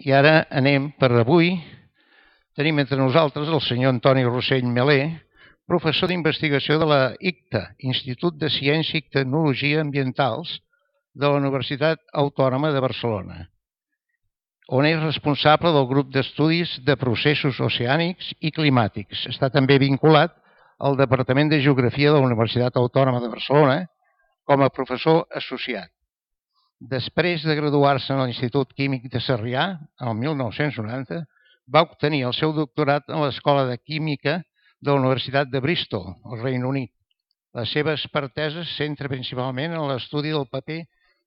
i ara anem per avui. Tenim entre nosaltres el senyor Antoni Rossell Melé, professor d'investigació de la ICTA, Institut de Ciència i Tecnologia Ambientals de la Universitat Autònoma de Barcelona, on és responsable del grup d'estudis de processos oceànics i climàtics. Està també vinculat al Departament de Geografia de la Universitat Autònoma de Barcelona com a professor associat. Després de graduar-se en l'Institut Químic de Sarrià, el 1990, va obtenir el seu doctorat en l'Escola de Química de la Universitat de Bristol, al Regne Unit. La seva expertesa es centra principalment en l'estudi del paper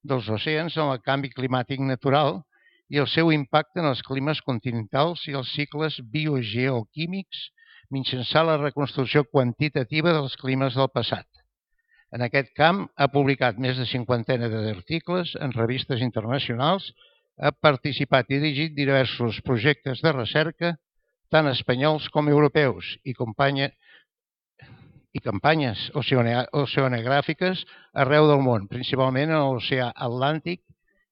dels oceans en el canvi climàtic natural i el seu impacte en els climes continentals i els cicles biogeoquímics mitjançant la reconstrucció quantitativa dels climes del passat. En aquest camp ha publicat més de 50 d'articles en revistes internacionals, ha participat i dirigit diversos projectes de recerca, tant espanyols com europeus, i campanyes oceanogràfiques arreu del món, principalment en l'oceà Atlàntic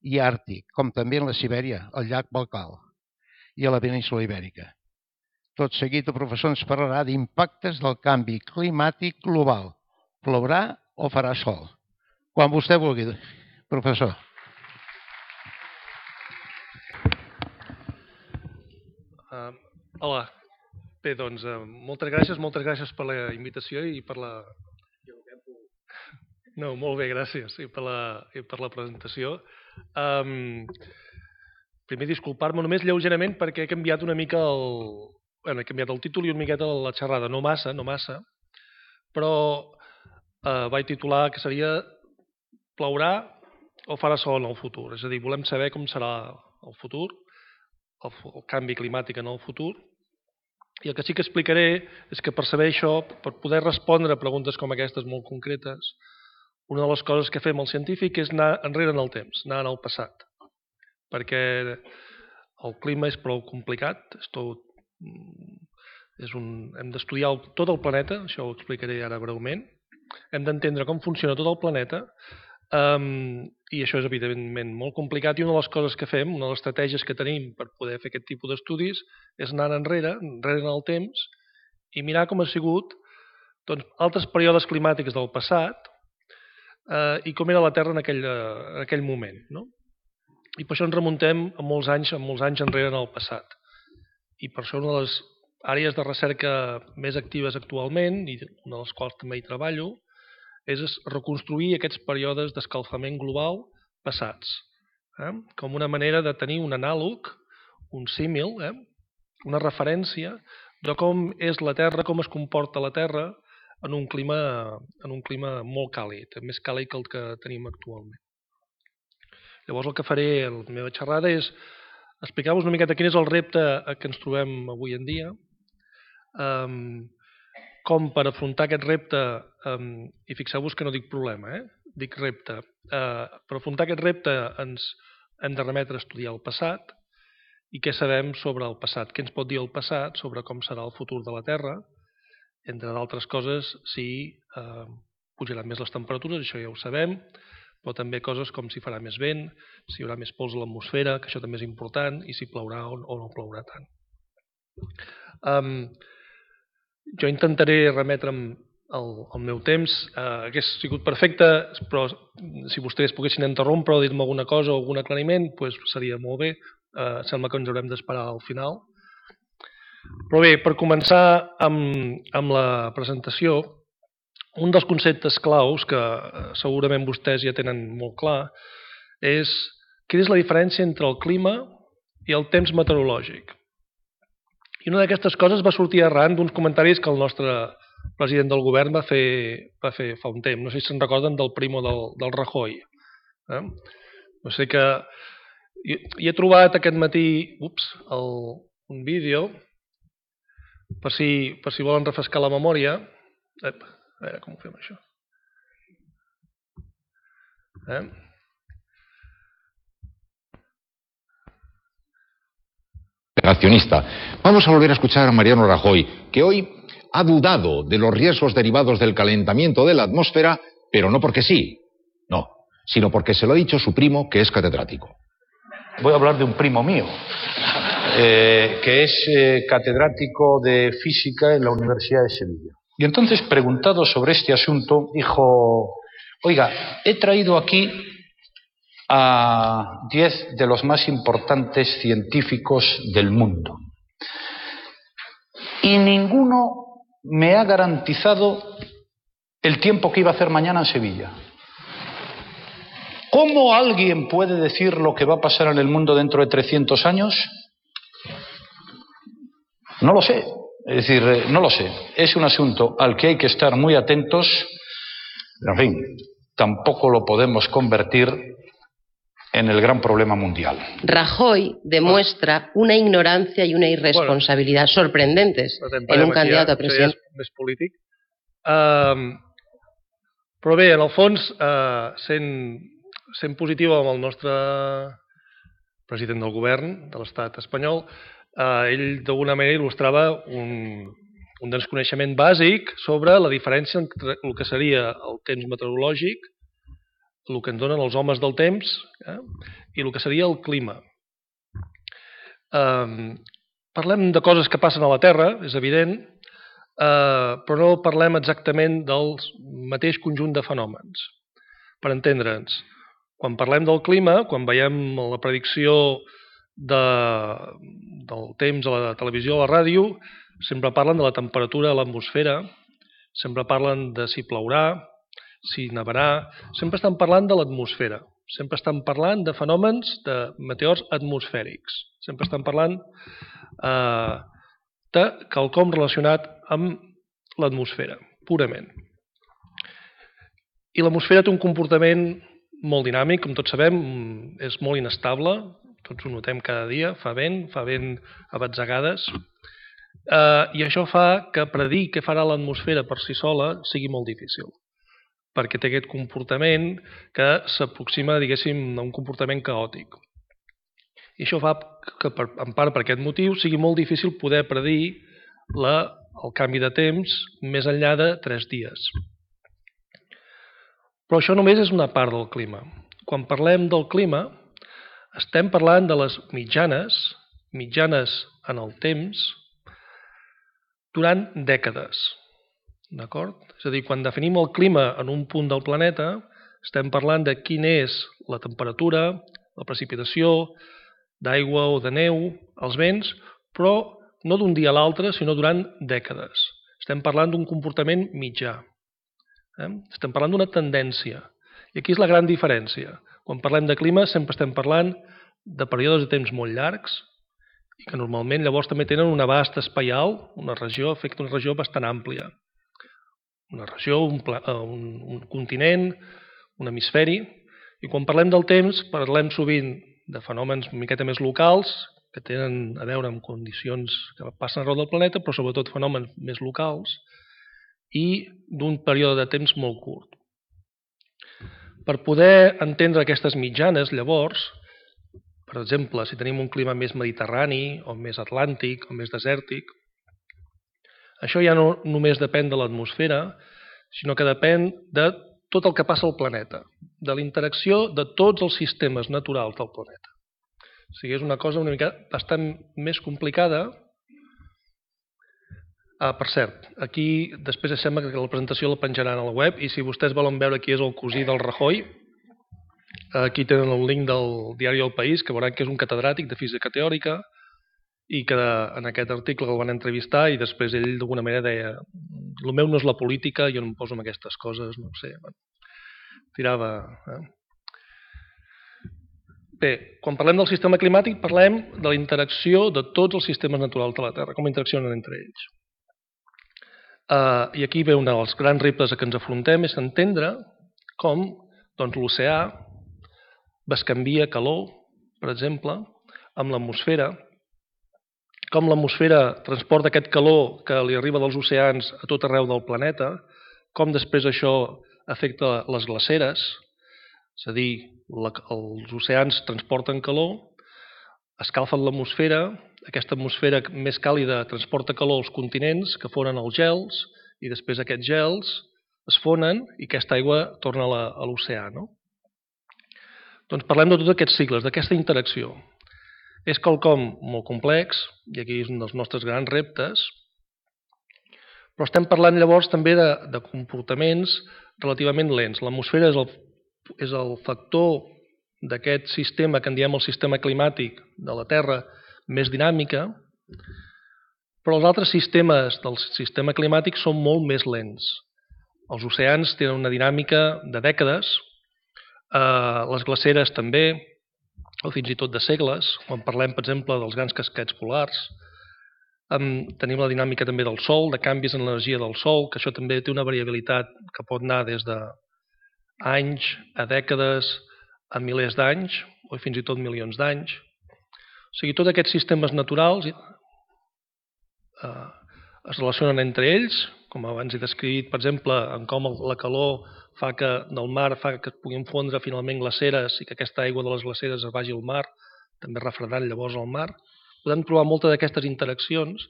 i Àrtic, com també en la Sibèria, el llac Baikal i a la península Ibèrica. Tot seguit, el professor ens parlarà d'impactes del canvi climàtic global. Plourà o farà sol? Quan vostè vulgui, professor. Hola. Bé, doncs, moltes gràcies per la invitació i per la... No, molt bé, gràcies, i per la presentació. Primer, disculpar-me només lleugerament perquè he canviat una mica he canviat el títol i una miqueta la xerrada, no massa, però vaig titular que seria Plourà o farà sol en el futur? És a dir, volem saber com serà el futur, el canvi climàtic en el futur. I el que sí que explicaré és que per saber això, per poder respondre a preguntes com aquestes molt concretes, una de les coses que fem el científic és anar enrere en el temps, anar en el passat. Perquè el clima és prou complicat, hem d'estudiar tot el planeta, això ho explicaré ara breument, hem d'entendre com funciona tot el planeta, i això és evidentment molt complicat, i una de les coses que fem, una de les estratègies que tenim per poder fer aquest tipus d'estudis és anar enrere en el temps i mirar com ha sigut altres períodes climàtics del passat i com era la Terra en aquell moment. I per això ens remuntem a molts anys enrere en el passat. I per això una de les àrees de recerca més actives actualment, i una de les quals també hi treballo, és reconstruir aquests períodes d'escalfament global passats, com una manera de tenir un anàleg, un símil, una referència de com és la Terra, com es comporta la Terra en un clima molt càlid, més càlid que el que tenim actualment. Llavors el que faré a la meva xerrada és explicar-vos una miqueta quin és el repte que ens trobem avui en dia, com per afrontar aquest repte, i fixeu-vos que no dic problema, dic repte. Per afrontar aquest repte ens hem de remetre a estudiar el passat i què sabem sobre el passat, què ens pot dir el passat sobre com serà el futur de la Terra, entre d'altres coses, si pujaran més les temperatures, això ja ho sabem, però també coses com si farà més vent, si hi haurà més pols a l'atmosfera, que això també és important, i si plourà o no plourà tant. Jo intentaré remetre'm el meu temps. Hauria sigut perfecte, però si vostès poguessin interrompre o dir-me alguna cosa o algun aclariment, seria molt bé. Sembla que ens haurem d'esperar al final. Però bé, per començar amb la presentació, un dels conceptes claus que segurament vostès ja tenen molt clar és quina és la diferència entre el clima i el temps meteorològic. I una d'aquestes coses va sortir arran d'uns comentaris que el nostre president del govern va fer fa un temps. No sé si se'n recorden del primo del Rajoy. No sé que... I he trobat aquest matí un vídeo per si volen refrescar la memòria. A veure com ho fem, això. Vamos a volver a escuchar a Mariano Rajoy, que hoy ha dudado de los riesgos derivados del calentamiento de la atmósfera, pero no porque sí, no, sino porque se lo ha dicho su primo, que es catedrático. voy a hablar de un primo mío, que es catedrático de física en la Universidad de Sevilla. Y entonces, preguntado sobre este asunto, dijo: oiga, he traído aquí a 10 de los más importantes científicos del mundo y ninguno me ha garantizado el tiempo que iba a hacer mañana en Sevilla. ¿Cómo alguien puede decir lo que va a pasar en el mundo dentro de 300 años? No lo sé. Es decir, no lo sé. Es un asunto al que hay que estar muy atentos. En fin, tampoco lo podemos convertir en el gran problema mundial. Rajoy demuestra una ignorancia y una irresponsabilidad sorprendentes en un candidato a president. Això ja és més polític. Però bé, en el fons, sent positiu amb el nostre president del govern de l'estat espanyol, ell d'alguna manera il·lustrava un desconeixement bàsic sobre la diferència entre el que seria el temps meteorològic, el que ens donen els homes del temps, i el que seria el clima. Parlem de coses que passen a la Terra, és evident, però no parlem exactament del mateix conjunt de fenòmens. Per entendre'ns, quan parlem del clima, quan veiem la predicció del temps a la televisió o a la ràdio, sempre parlen de la temperatura a l'atmosfera, sempre parlen de si plourà, si nevarà, sempre estan parlant de l'atmosfera, sempre estan parlant de fenòmens de meteors atmosfèrics, sempre estan parlant de quelcom relacionat amb l'atmosfera, purament. I l'atmosfera té un comportament molt dinàmic, com tots sabem, és molt inestable, tots ho notem cada dia, fa vent a batzegades, i això fa que predir què farà l'atmosfera per si sola sigui molt difícil, perquè té aquest comportament que s'aproxima, diguéssim, a un comportament caòtic. I això fa que, en part per aquest motiu, sigui molt difícil poder predir el canvi de temps més enllà de 3 dies. Però això només és una part del clima. Quan parlem del clima, estem parlant de les mitjanes en el temps, durant dècades. D'acord? És a dir, quan definim el clima en un punt del planeta, estem parlant de quina és la temperatura, la precipitació, d'aigua o de neu, els vents, però no d'un dia a l'altre, sinó durant dècades. Estem parlant d'un comportament mitjà. Estem parlant d'una tendència. I aquí és la gran diferència. Quan parlem de clima sempre estem parlant de períodes de temps molt llargs i que normalment llavors també tenen un abast espaial, una regió, afecta una regió bastant àmplia. Una regió, un continent, un hemisferi. I quan parlem del temps parlem sovint de fenòmens una miqueta més locals que tenen a veure amb condicions que passen arreu del planeta, però sobretot fenòmens més locals i d'un període de temps molt curt. Per poder entendre aquestes mitjanes, llavors, per exemple, si tenim un clima més mediterrani o més atlàntic o més desèrtic, això ja no només depèn de l'atmosfera, sinó que depèn de tot el que passa al planeta, de la interacció de tots els sistemes naturals del planeta. O sigui, és una cosa una mica bastant més complicada. Per cert, aquí després sembla que la presentació la penjaran a la web i si vostès volen veure qui és el cosí del Rajoy, aquí tenen el link del diari El País, que veuran que és un catedràtic de física teòrica i que en aquest article el van entrevistar i després ell d'alguna manera deia: el meu no és la política, jo no em poso en aquestes coses, no ho sé. Tirava... Bé, quan parlem del sistema climàtic parlem de la interacció de tots els sistemes naturals de la Terra, com interaccionen entre ells. I aquí ve un dels grans reptes a què ens afrontem, és entendre com l'oceà bescanvia calor, per exemple, amb l'atmosfera, com l'atmosfera transporta aquest calor que li arriba dels oceans a tot arreu del planeta, com després això afecta les glaceres, és a dir, els oceans transporten calor, escalfen l'atmosfera, aquesta atmosfera més càlida transporta calor als continents que fonen els gels i després aquests gels es fonen i aquesta aigua torna a l'oceà. Doncs parlem de tots aquests cicles, d'aquesta interacció. És quelcom molt complex, i aquí és un dels nostres grans reptes, però estem parlant llavors també de comportaments relativament lents. L'atmosfera és el factor d'aquest sistema que en diem el sistema climàtic de la Terra més dinàmica, però els altres sistemes del sistema climàtic són molt més lents. Els oceans tenen una dinàmica de dècades, les glaceres també, o fins i tot de segles, quan parlem, per exemple, dels grans casquets polars. Tenim la dinàmica també del Sol, de canvis en l'energia del Sol, que això també té una variabilitat que pot anar des d'anys a dècades, a milers d'anys, o fins i tot milions d'anys. O sigui, tots aquests sistemes naturals es relacionen entre ells, com abans he descrit, per exemple, en com la calor del mar fa que es puguin fondre finalment glaceres i que aquesta aigua de les glaceres es vagi al mar, també refredant llavors el mar. Podem trobar moltes d'aquestes interaccions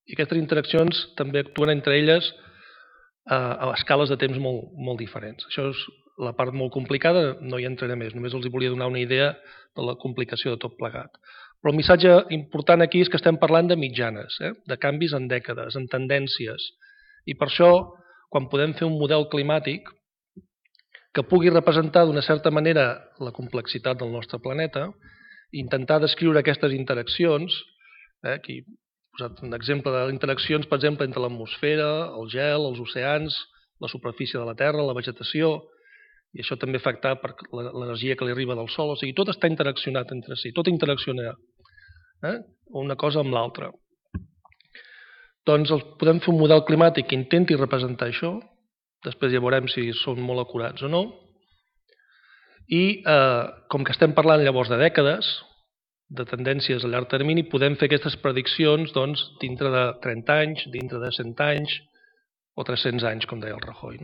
i aquestes interaccions també actuen entre elles a escales de temps molt diferents. Això és la part molt complicada, no hi entraré més, només els volia donar una idea de la complicació de tot plegat. Però el missatge important aquí és que estem parlant de mitjanes, de canvis en dècades, en tendències, i per això, quan podem fer un model climàtic que pugui representar d'una certa manera la complexitat del nostre planeta, intentar descriure aquestes interaccions, aquí he posat un exemple d'interaccions, per exemple, entre l'atmosfera, el gel, els oceans, la superfície de la Terra, la vegetació, i això també afecta per l'energia que li arriba del Sol, o sigui, tot està interaccionat entre si, tot interacciona una cosa amb l'altra. Doncs podem fer un model climàtic que intenti representar això, després ja veurem si són molt acurats o no, i com que estem parlant llavors de dècades, de tendències a llarg termini, podem fer aquestes prediccions dintre de 30 anys, dintre de 100 anys o 300 anys, com deia el Rajoy.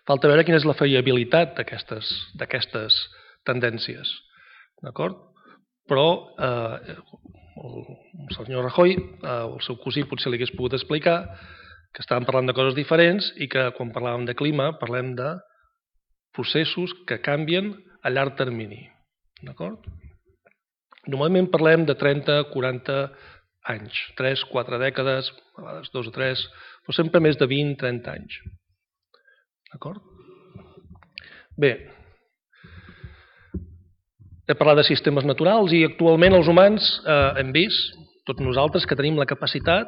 Falta veure quina és la fiabilitat d'aquestes tendències. D'acord? Però el senyor Rajoy, el seu cosí potser li hagués pogut explicar que estàvem parlant de coses diferents i que quan parlàvem de clima parlem de processos que canvien a llarg termini. D'acord? Normalment parlem de 30, 40 anys, 3, 4 dècades, a vegades 2 o 3, però sempre més de 20, 30 anys. D'acord? Bé, he parlat de sistemes naturals i actualment els humans hem vist, tots nosaltres, que tenim la capacitat,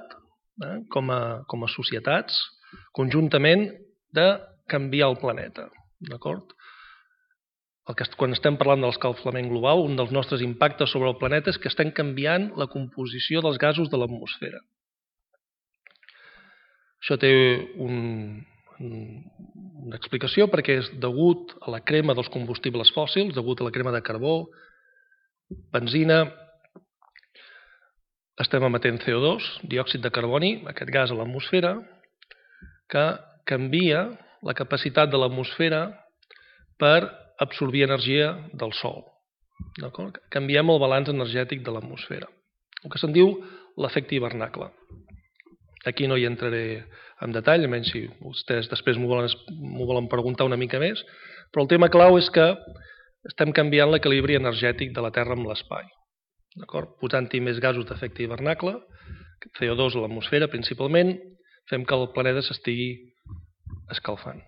com a societats, conjuntament, de canviar el planeta. D'acord? Quan estem parlant de l'escalfament global, un dels nostres impactes sobre el planeta és que estem canviant la composició dels gasos de l'atmosfera. Això té una explicació perquè és degut a la crema dels combustibles fòssils, degut a la crema de carbó, benzina, estem emetent CO2, diòxid de carboni, aquest gas a l'atmosfera, que canvia la capacitat de l'atmosfera per absorbir energia del Sol. Canviem el balanç energètic de l'atmosfera. El que se'n diu l'efecte hivernacle. Aquí no hi entraré en detall, almenys si vostès després m'ho volen preguntar una mica més, però el tema clau és que estem canviant l'equilibri energètic de la Terra amb l'espai. Posant-hi més gasos d'efecte hivernacle, CO2 a l'atmosfera principalment, fem que el planeta s'estigui escalfant.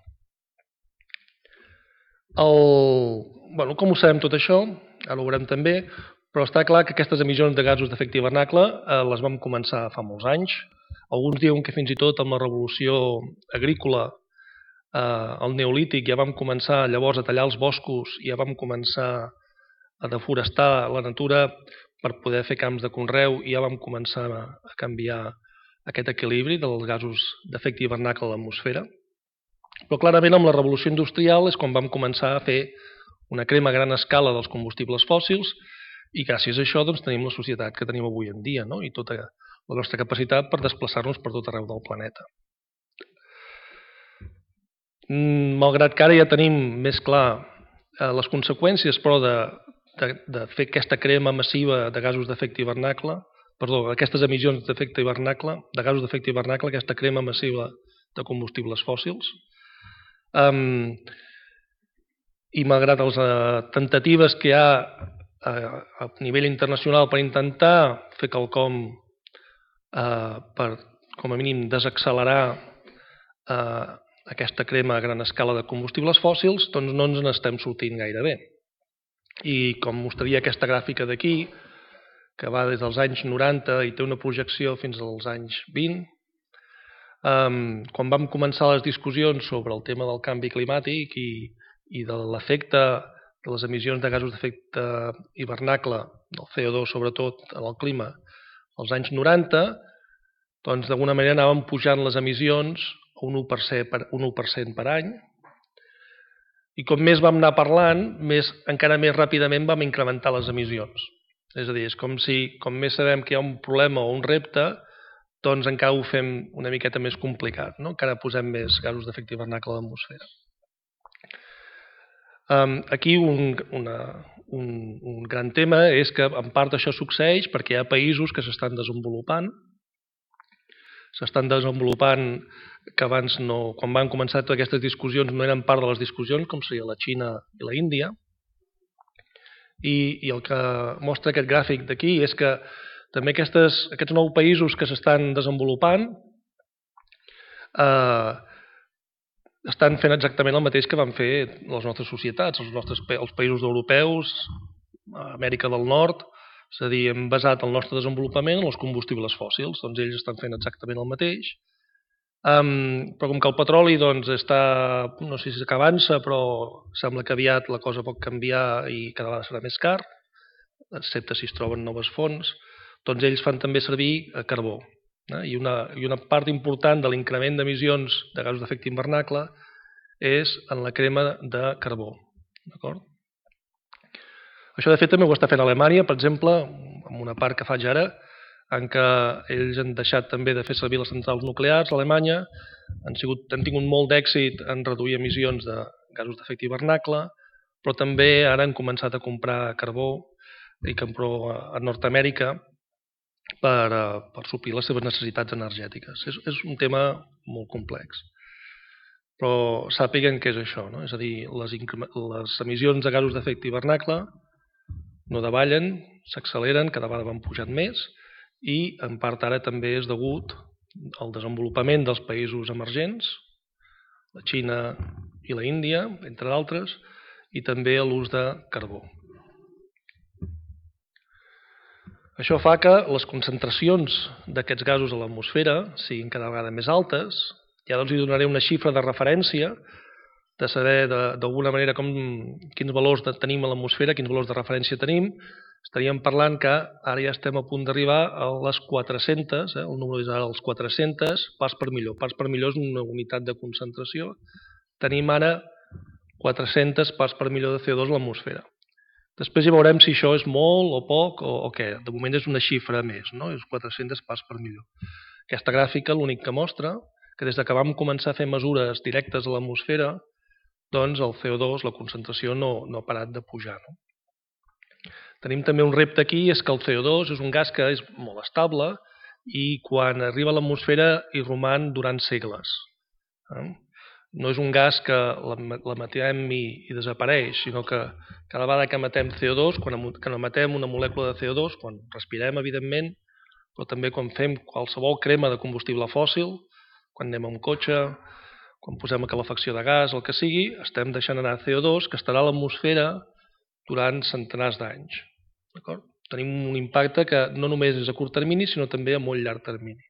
Com ho sabem tot això? Ara ho veurem també, però està clar que aquestes emissions de gasos d'efecte hivernacle les vam començar fa molts anys. Alguns diuen que fins i tot amb la revolució agrícola, el neolític, ja vam començar llavors a tallar els boscos i ja vam començar a deforestar la natura per poder fer camps de conreu i ja vam començar a canviar aquest equilibri dels gasos d'efecte hivernacle a l'atmosfera. Però clarament amb la revolució industrial és quan vam començar a fer una crema a gran escala dels combustibles fòssils i gràcies a això tenim la societat que tenim avui en dia i tota la nostra capacitat per desplaçar-nos per tot arreu del planeta. Malgrat que ara ja tenim més clar les conseqüències, però de fer aquesta crema massiva de gasos d'efecte hivernacle, aquestes emissions d'efecte hivernacle, de gasos d'efecte hivernacle, aquesta crema massiva de combustibles fòssils, i malgrat les temptatives que hi ha a nivell internacional per intentar fer quelcom per, com a mínim, desaccelerar aquesta crema a gran escala de combustibles fòssils, doncs no ens n'estem sortint gaire bé. I com mostraria aquesta gràfica d'aquí, que va des dels anys 90 i té una projecció fins als anys 20, quan vam començar les discussions sobre el tema del canvi climàtic i de l'efecte de les emissions de gasos d'efecte hivernacle, del CO2 sobretot, en el clima, als anys 90, doncs d'alguna manera anàvem pujant les emissions a un 1% per any, i com més vam anar parlant, encara més ràpidament vam incrementar les emissions. És a dir, és com si, com més sabem que hi ha un problema o un repte, doncs encara ho fem una miqueta més complicat, no? Encara posem més gasos d'efecte hivernacle a l'atmosfera. Aquí un gran tema és que en part això succeeix perquè hi ha països que s'estan desenvolupant que abans no, quan van començar totes aquestes discussions no eren part de les discussions, com seria la Xina i la Índia. I el que mostra aquest gràfic d'aquí és que també aquests 9 països que s'estan desenvolupant estan fent exactament el mateix que van fer les nostres societats, els països europeus, Amèrica del Nord, és a dir, hem basat el nostre desenvolupament en els combustibles fòssils, doncs ells estan fent exactament el mateix. Però com que el petroli doncs, està, no sé si avança, però sembla que aviat la cosa pot canviar i cada vegada serà més car, excepte si es troben noves fonts, doncs ells fan també servir carbó. I una part important de l'increment d'emissions de gasos d'efecte hivernacle és en la crema de carbó. Això de fet també ho està fent Alemanya, per exemple, en una part que faig ara, en què ells han deixat també de fer servir les centrals nuclears a Alemanya, han tingut molt d'èxit en reduir emissions de gasos d'efecte hivernacle, però també ara han començat a comprar carbó i carbó a Nord-Amèrica per suplir les seves necessitats energètiques. És un tema molt complex. Però sàpiguen què és això, no? És a dir, les emissions de gasos d'efecte hivernacle no davallen, s'acceleren, cada vegada van pujant més, i en part ara també és degut al desenvolupament dels països emergents, la Xina i la Índia, entre d'altres, i també a l'ús de carbó. Això fa que les concentracions d'aquests gasos a l'atmosfera siguin cada vegada més altes. Ja doncs hi donaré una xifra de referència de saber d'alguna manera quins valors tenim a l'atmosfera, quins valors de referència tenim. Estaríem parlant que ara ja estem a punt d'arribar a les 400, el número és ara els 400 parts per milió. Parts per milió és una unitat de concentració. Tenim ara 400 parts per milió de CO2 a l'atmosfera. Després ja veurem si això és molt o poc o què. De moment és una xifra més, no? És 400 parts per milió. Aquesta gràfica l'únic que mostra que des que vam començar a fer mesures directes a l'atmosfera, doncs el CO2, la concentració, no ha parat de pujar. Tenim també un repte aquí, és que el CO2 és un gas que és molt estable i quan arriba a l'atmosfera hi roman durant segles. No és un gas que l'emetem i desapareix, sinó que cada vegada que emetem CO2, quan emetem una molècula de CO2, quan respirem, evidentment, però també quan fem qualsevol crema de combustible fòssil, quan anem a un cotxe, quan posem a calefacció de gas, el que sigui, estem deixant anar CO2 que estarà a l'atmosfera durant centenars d'anys. Tenim un impacte que no només és a curt termini, sinó també a molt llarg termini.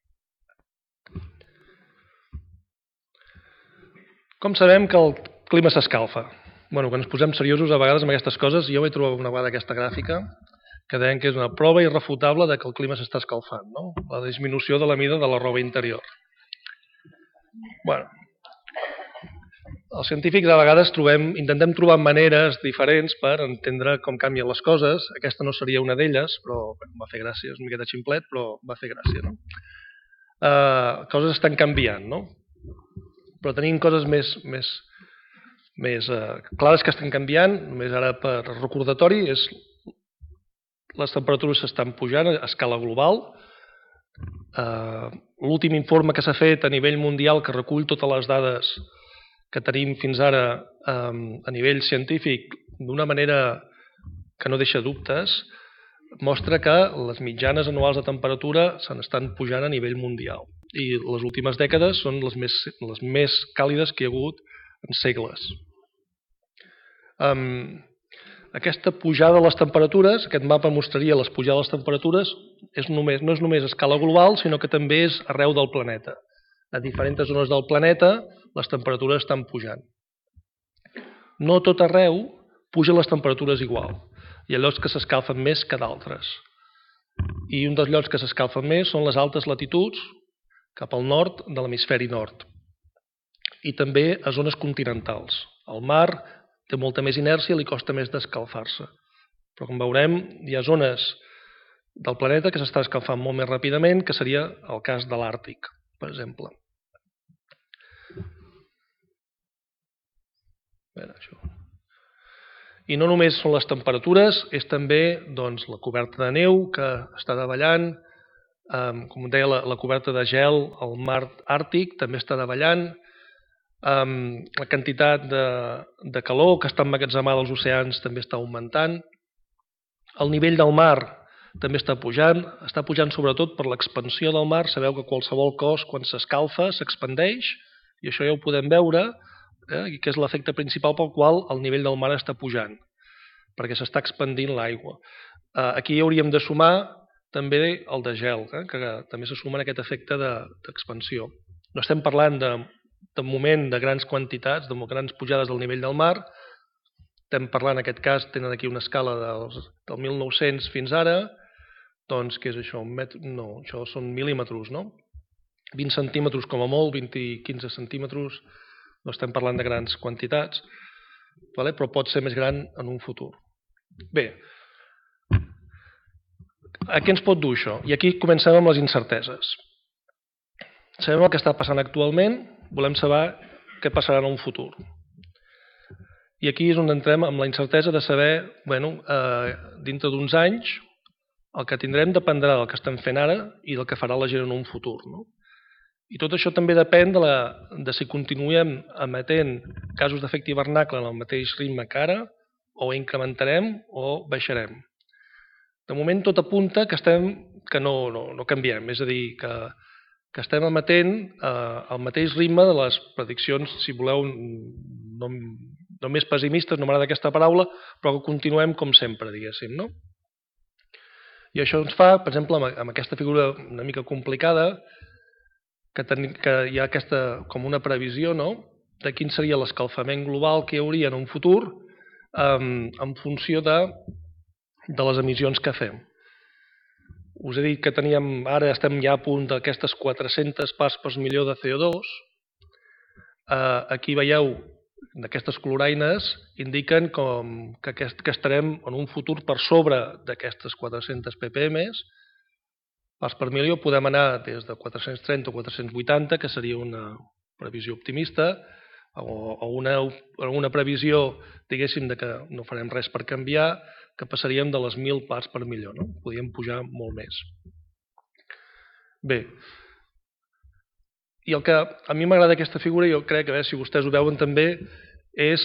Com sabem que el clima s'escalfa? Quan ens posem seriosos a vegades amb aquestes coses, jo vaig trobar una vegada aquesta gràfica que deien que és una prova irrefutable que el clima s'està escalfant, no? La disminució de la mida de la roba interior. Els científics a vegades intentem trobar maneres diferents per entendre com canvien les coses. Aquesta no seria una d'elles, però va fer gràcia, és una miqueta ximplet, però va fer gràcia, no? Coses estan canviant, no? Però tenim coses més clares que estan canviant, només ara per recordatori, les temperatures s'estan pujant a escala global. L'últim informe que s'ha fet a nivell mundial que recull totes les dades que tenim fins ara a nivell científic d'una manera que no deixa dubtes, mostra que les mitjanes anuals de temperatura se n'estan pujant a nivell mundial. I les últimes dècades són les més càlides que hi ha hagut en segles. Aquesta pujada de les temperatures, aquest mapa mostraria les pujades de les temperatures, no és només a escala global, sinó que també és arreu del planeta. A diferents zones del planeta les temperatures estan pujant. No tot arreu pugen les temperatures igual. Hi ha llocs que s'escalfen més que d'altres. I un dels llocs que s'escalfen més són les altes latituds, cap al nord de l'hemisferi nord. I també a zones continentals. El mar té molta més inèrcia i li costa més d'escalfar-se. Però com veurem, hi ha zones del planeta que s'estan escalfant molt més ràpidament, que seria el cas de l'Àrtic, per exemple. I no només són les temperatures, és també la coberta de neu que està davallant, com deia, la coberta de gel al mar Àrtic també està davallant, la quantitat de calor que està emmagatzemada als oceans també està augmentant, el nivell del mar també està pujant sobretot per l'expansió del mar. Sabeu que qualsevol cos quan s'escalfa s'expandeix, i això ja ho podem veure, que és l'efecte principal pel qual el nivell del mar està pujant, perquè s'està expandint l'aigua. Aquí hi hauríem de sumar també el de gel, que també se suma en aquest efecte d'expansió. No estem parlant de moment de grans quantitats, de grans pujades del nivell del mar. Estem parlant, en aquest cas, tenen aquí una escala del 1900 fins ara, doncs què és això? No, això són mil·límetres, no? 20 centímetres com a molt, 15 centímetres, no estem parlant de grans quantitats, però pot ser més gran en un futur. Bé, a què ens pot dur això? I aquí comencem amb les incerteses. Sabem el que està passant actualment, volem saber què passarà en un futur. I aquí és on entrem amb la incertesa de saber, dintre d'uns anys, el que tindrem dependrà del que estem fent ara i del que farà la gent en un futur. I tot això també depèn de si continuem emetent gasos d'efecte hivernacle en el mateix ritme que ara, o incrementarem o baixarem. De moment tot apunta que no canviem, és a dir, que estem emetent el mateix ritme de les prediccions, si voleu, no més pessimistes, no m'agrada aquesta paraula, però que continuem com sempre, diguéssim, no? I això ens fa, per exemple, amb aquesta figura una mica complicada, que hi ha aquesta com una previsió, no?, de quin seria l'escalfament global que hi hauria en un futur en funció de les emissions que fem. Us he dit que ara estem ja a punt d'aquestes 400 parts per milió de CO2. Aquí veieu, aquestes coloraines indiquen que estarem en un futur per sobre d'aquestes 400 ppm. Parts per milió podem anar des de 430 o 480, que seria una previsió optimista, o una previsió, diguéssim, que no farem res per canviar, que passaríem de les 1.000 parts per milió. Podríem pujar molt més. Bé, i el que a mi m'agrada aquesta figura, jo crec que, a veure si vostès ho veuen també, és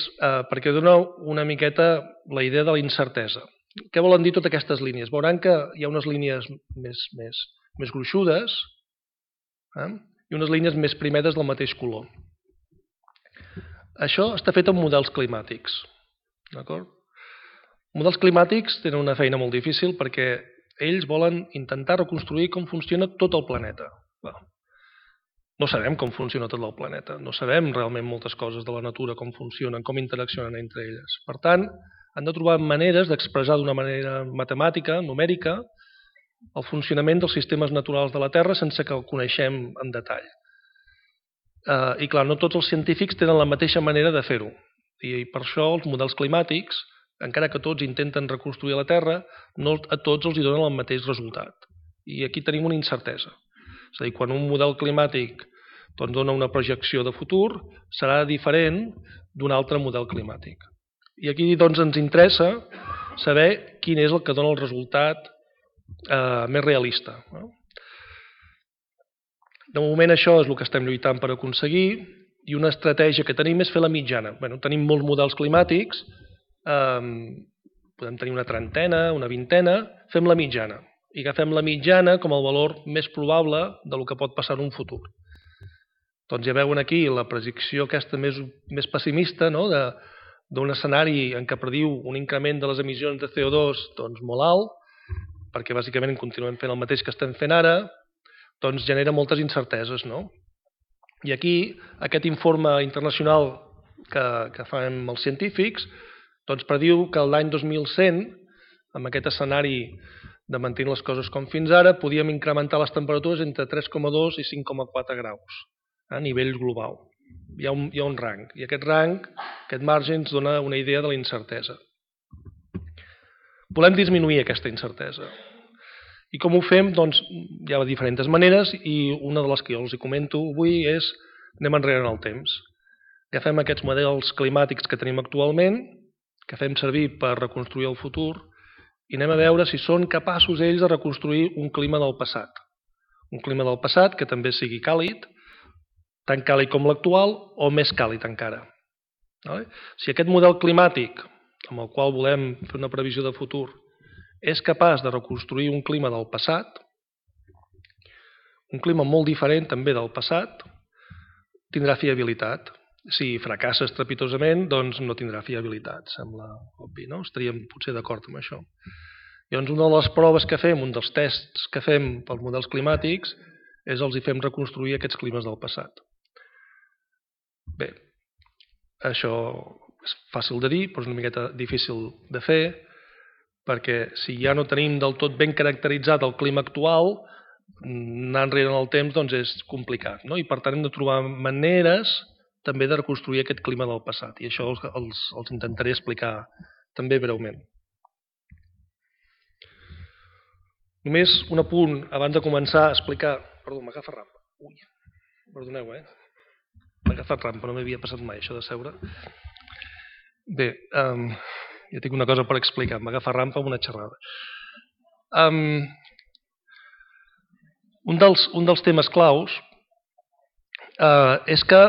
perquè dona una miqueta la idea de la incertesa. Què volen dir totes aquestes línies? Veuran que hi ha unes línies més gruixudes i unes línies més primeres del mateix color. Això està fet amb models climàtics. D'acord? Models climàtics tenen una feina molt difícil perquè ells volen intentar reconstruir com funciona tot el planeta. No sabem com funciona tot el planeta, no sabem realment moltes coses de la natura, com funcionen, com interaccionen entre elles. Per tant, han de trobar maneres d'expressar d'una manera matemàtica, numèrica, el funcionament dels sistemes naturals de la Terra sense que el coneixem en detall. I clar, no tots els científics tenen la mateixa manera de fer-ho. I per això els models climàtics, encara que tots intenten reconstruir la Terra, no a tots els donen el mateix resultat. I aquí tenim una incertesa. És a dir, quan un model climàtic dona una projecció de futur, serà diferent d'un altre model climàtic. I aquí ens interessa saber quin és el que dona el resultat més realista. De moment això és el que estem lluitant per aconseguir, i una estratègia que tenim és fer la mitjana. Tenim molts models climàtics, podem tenir una trentena, una vintena, fem la mitjana. I agafem la mitjana com el valor més probable del que pot passar en un futur. Doncs ja veuen aquí la predicció aquesta més pessimista, d'un escenari en què prediu un increment de les emissions de CO2 molt alt, perquè bàsicament continuem fent el mateix que estem fent ara, doncs genera moltes incerteses. I aquí, aquest informe internacional que fan els científics, doncs prediu que l'any 2100, amb aquest escenari de mantenir les coses com fins ara, podíem incrementar les temperatures entre 3,2 i 5,4 graus a nivell global. Hi ha un rang, i aquest rang, aquest marge, ens dona una idea de la incertesa. Volem disminuir aquesta incertesa. I com ho fem? Doncs hi ha diferents maneres, i una de les que jo els comento avui és anem enrere en el temps. Agafem aquests models climàtics que tenim actualment, que fem servir per reconstruir el futur, i anem a veure si són capaços ells de reconstruir un clima del passat. Un clima del passat que també sigui càlid, tan càlid com l'actual o més càlid encara. Si aquest model climàtic, amb el qual volem fer una previsió de futur, és capaç de reconstruir un clima del passat, un clima molt diferent també del passat, tindrà fiabilitat. Si fracassa estrepitosament, doncs no tindrà fiabilitat, sembla obvi, no? Estaríem potser d'acord amb això. Llavors, una de les proves que fem, un dels tests que fem pels models climàtics, és els hi fem reconstruir aquests climes del passat. Bé, això és fàcil de dir, però és una miqueta difícil de fer, perquè si ja no tenim del tot ben caracteritzat el clima actual, anar enrere en el temps doncs és complicat, i per tant hem de trobar maneres també de reconstruir aquest clima del passat, i això els intentaré explicar també breument. Només un apunt abans de començar a explicar... Perdó, m'agafa rampa. Ui, perdoneu, m'ha agafat rampa, no m'havia passat mai això de seure. Bé, ja tinc una cosa per explicar, m'agafa rampa amb una xerrada. Un dels temes claus és que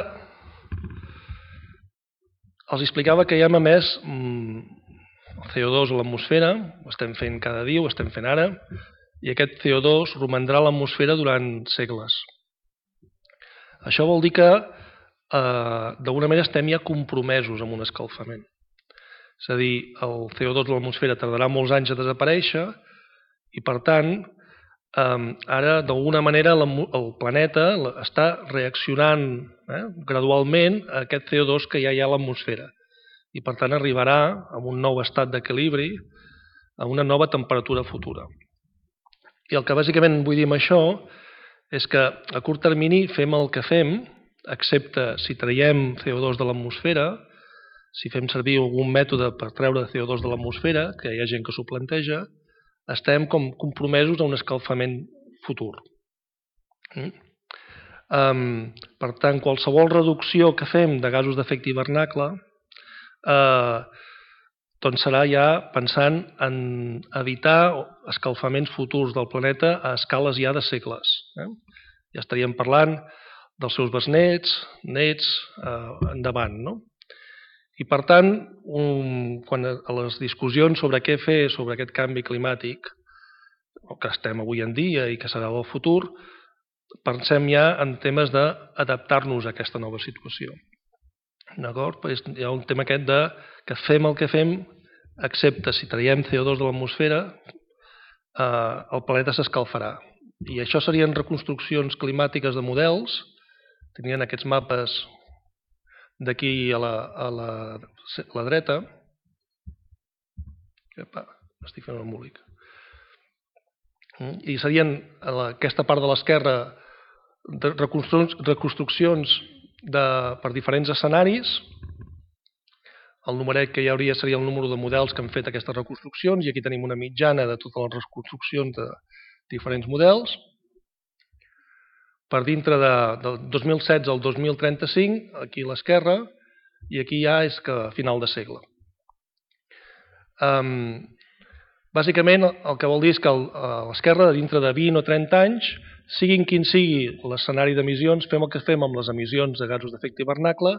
els explicava que ja hem emès el CO2 a l'atmosfera, ho estem fent cada dia, ho estem fent ara, i aquest CO2 romandrà a l'atmosfera durant segles. Això vol dir que d'alguna manera estem ja compromesos amb un escalfament. És a dir, el CO2 de l'atmosfera tardarà molts anys a desaparèixer i, per tant, ara d'alguna manera el planeta està reaccionant gradualment a aquest CO2 que ja hi ha a l'atmosfera i, per tant, arribarà a un nou estat d'equilibri, a una nova temperatura futura. I el que bàsicament vull dir amb això és que a curt termini fem el que fem, excepte si traiem CO2 de l'atmosfera, si fem servir algun mètode per treure CO2 de l'atmosfera, que hi ha gent que s'ho planteja, estem com compromesos a un escalfament futur. Per tant, qualsevol reducció que fem de gasos d'efecte hivernacle doncs serà ja pensant en evitar escalfaments futurs del planeta a escales ja de segles. Ja estaríem parlant dels seus besnets, nets, endavant, no? I, per tant, quan a les discussions sobre què fer sobre aquest canvi climàtic, que estem avui en dia i que serà el futur, pensem ja en temes d'adaptar-nos a aquesta nova situació. D'acord? Hi ha un tema aquest de que fem el que fem, excepte si traiem CO2 de l'atmosfera, el planeta s'escalfarà. I això serien reconstruccions climàtiques de models, tenien aquests mapes d'aquí a la dreta. Estic fent un embolic. I serien aquesta part de l'esquerra reconstruccions per diferents escenaris. El numeret que hi hauria seria el número de models que han fet aquestes reconstruccions i aquí tenim una mitjana de totes les reconstruccions de diferents models. Per dintre del 2016 al 2035, aquí a l'esquerra, i aquí ja és que a final de segle. Bàsicament el que vol dir és que a l'esquerra, dintre de 20 o 30 anys, siguin quin sigui l'escenari d'emissions, fem el que fem amb les emissions de gasos d'efecte hivernacle,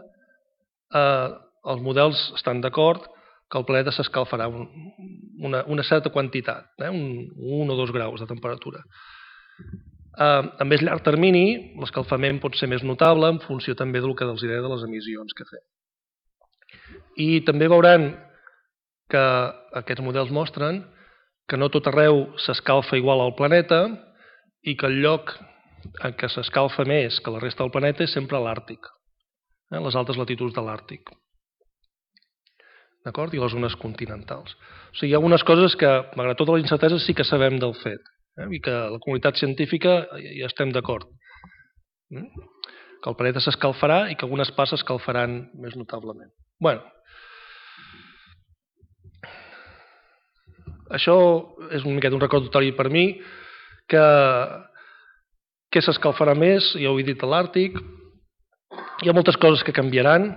els models estan d'acord que el planeta s'escalfarà una certa quantitat, 1 o 2 graus de temperatura. A més llarg termini, l'escalfament pot ser més notable en funció també del que els deia de les emissions que fem. I també veuran que aquests models mostren que no tot arreu s'escalfa igual al planeta i que el lloc en què s'escalfa més que la resta del planeta és sempre l'Àrtic, les altes latituds de l'Àrtic. D'acord? I les zones continentals. O sigui, hi ha algunes coses que, malgrat tota la incertesa, sí que sabem del fet, i que la comunitat científica hi estem d'acord. Que el planeta s'escalfarà i que algunes parts s'escalfaran més notablement. Bé, això és una miqueta un recordatori per mi, que s'escalfarà més, ja ho he dit, a l'Àrtic. Hi ha moltes coses que canviaran,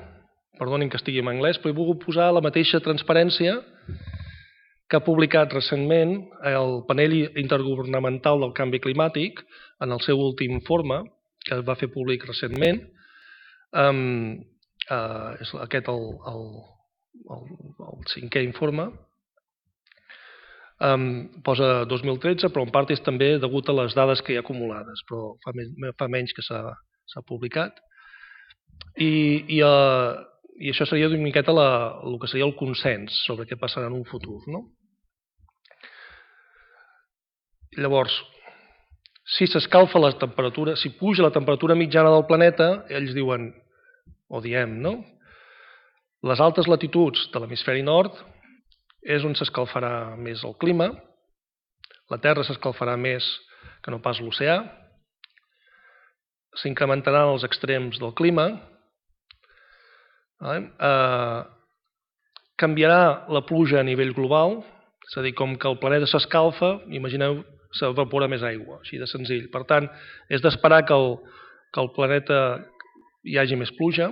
perdonin que estigui en anglès, però he volgut posar la mateixa transparència que ha publicat recentment el panel intergovernamental del canvi climàtic en el seu últim informe, que va fer públic recentment. És aquest el 5è informe. Posa 2013, però en part és també degut a les dades que hi ha acumulades, però fa menys que s'ha publicat. I això seria una miqueta el que seria el consens sobre què passarà en un futur. Llavors, si s'escalfa la temperatura, si puja la temperatura mitjana del planeta, ells diuen, o diem, les altes latituds de l'hemisferi nord és on s'escalfarà més el clima, la Terra s'escalfarà més que no pas l'oceà, s'incrementaran els extrems del clima, canviarà la pluja a nivell global, és a dir, com que el planeta s'escalfa, imagineu, s'evapora més aigua, així de senzill. Per tant, és d'esperar que el planeta hi hagi més pluja,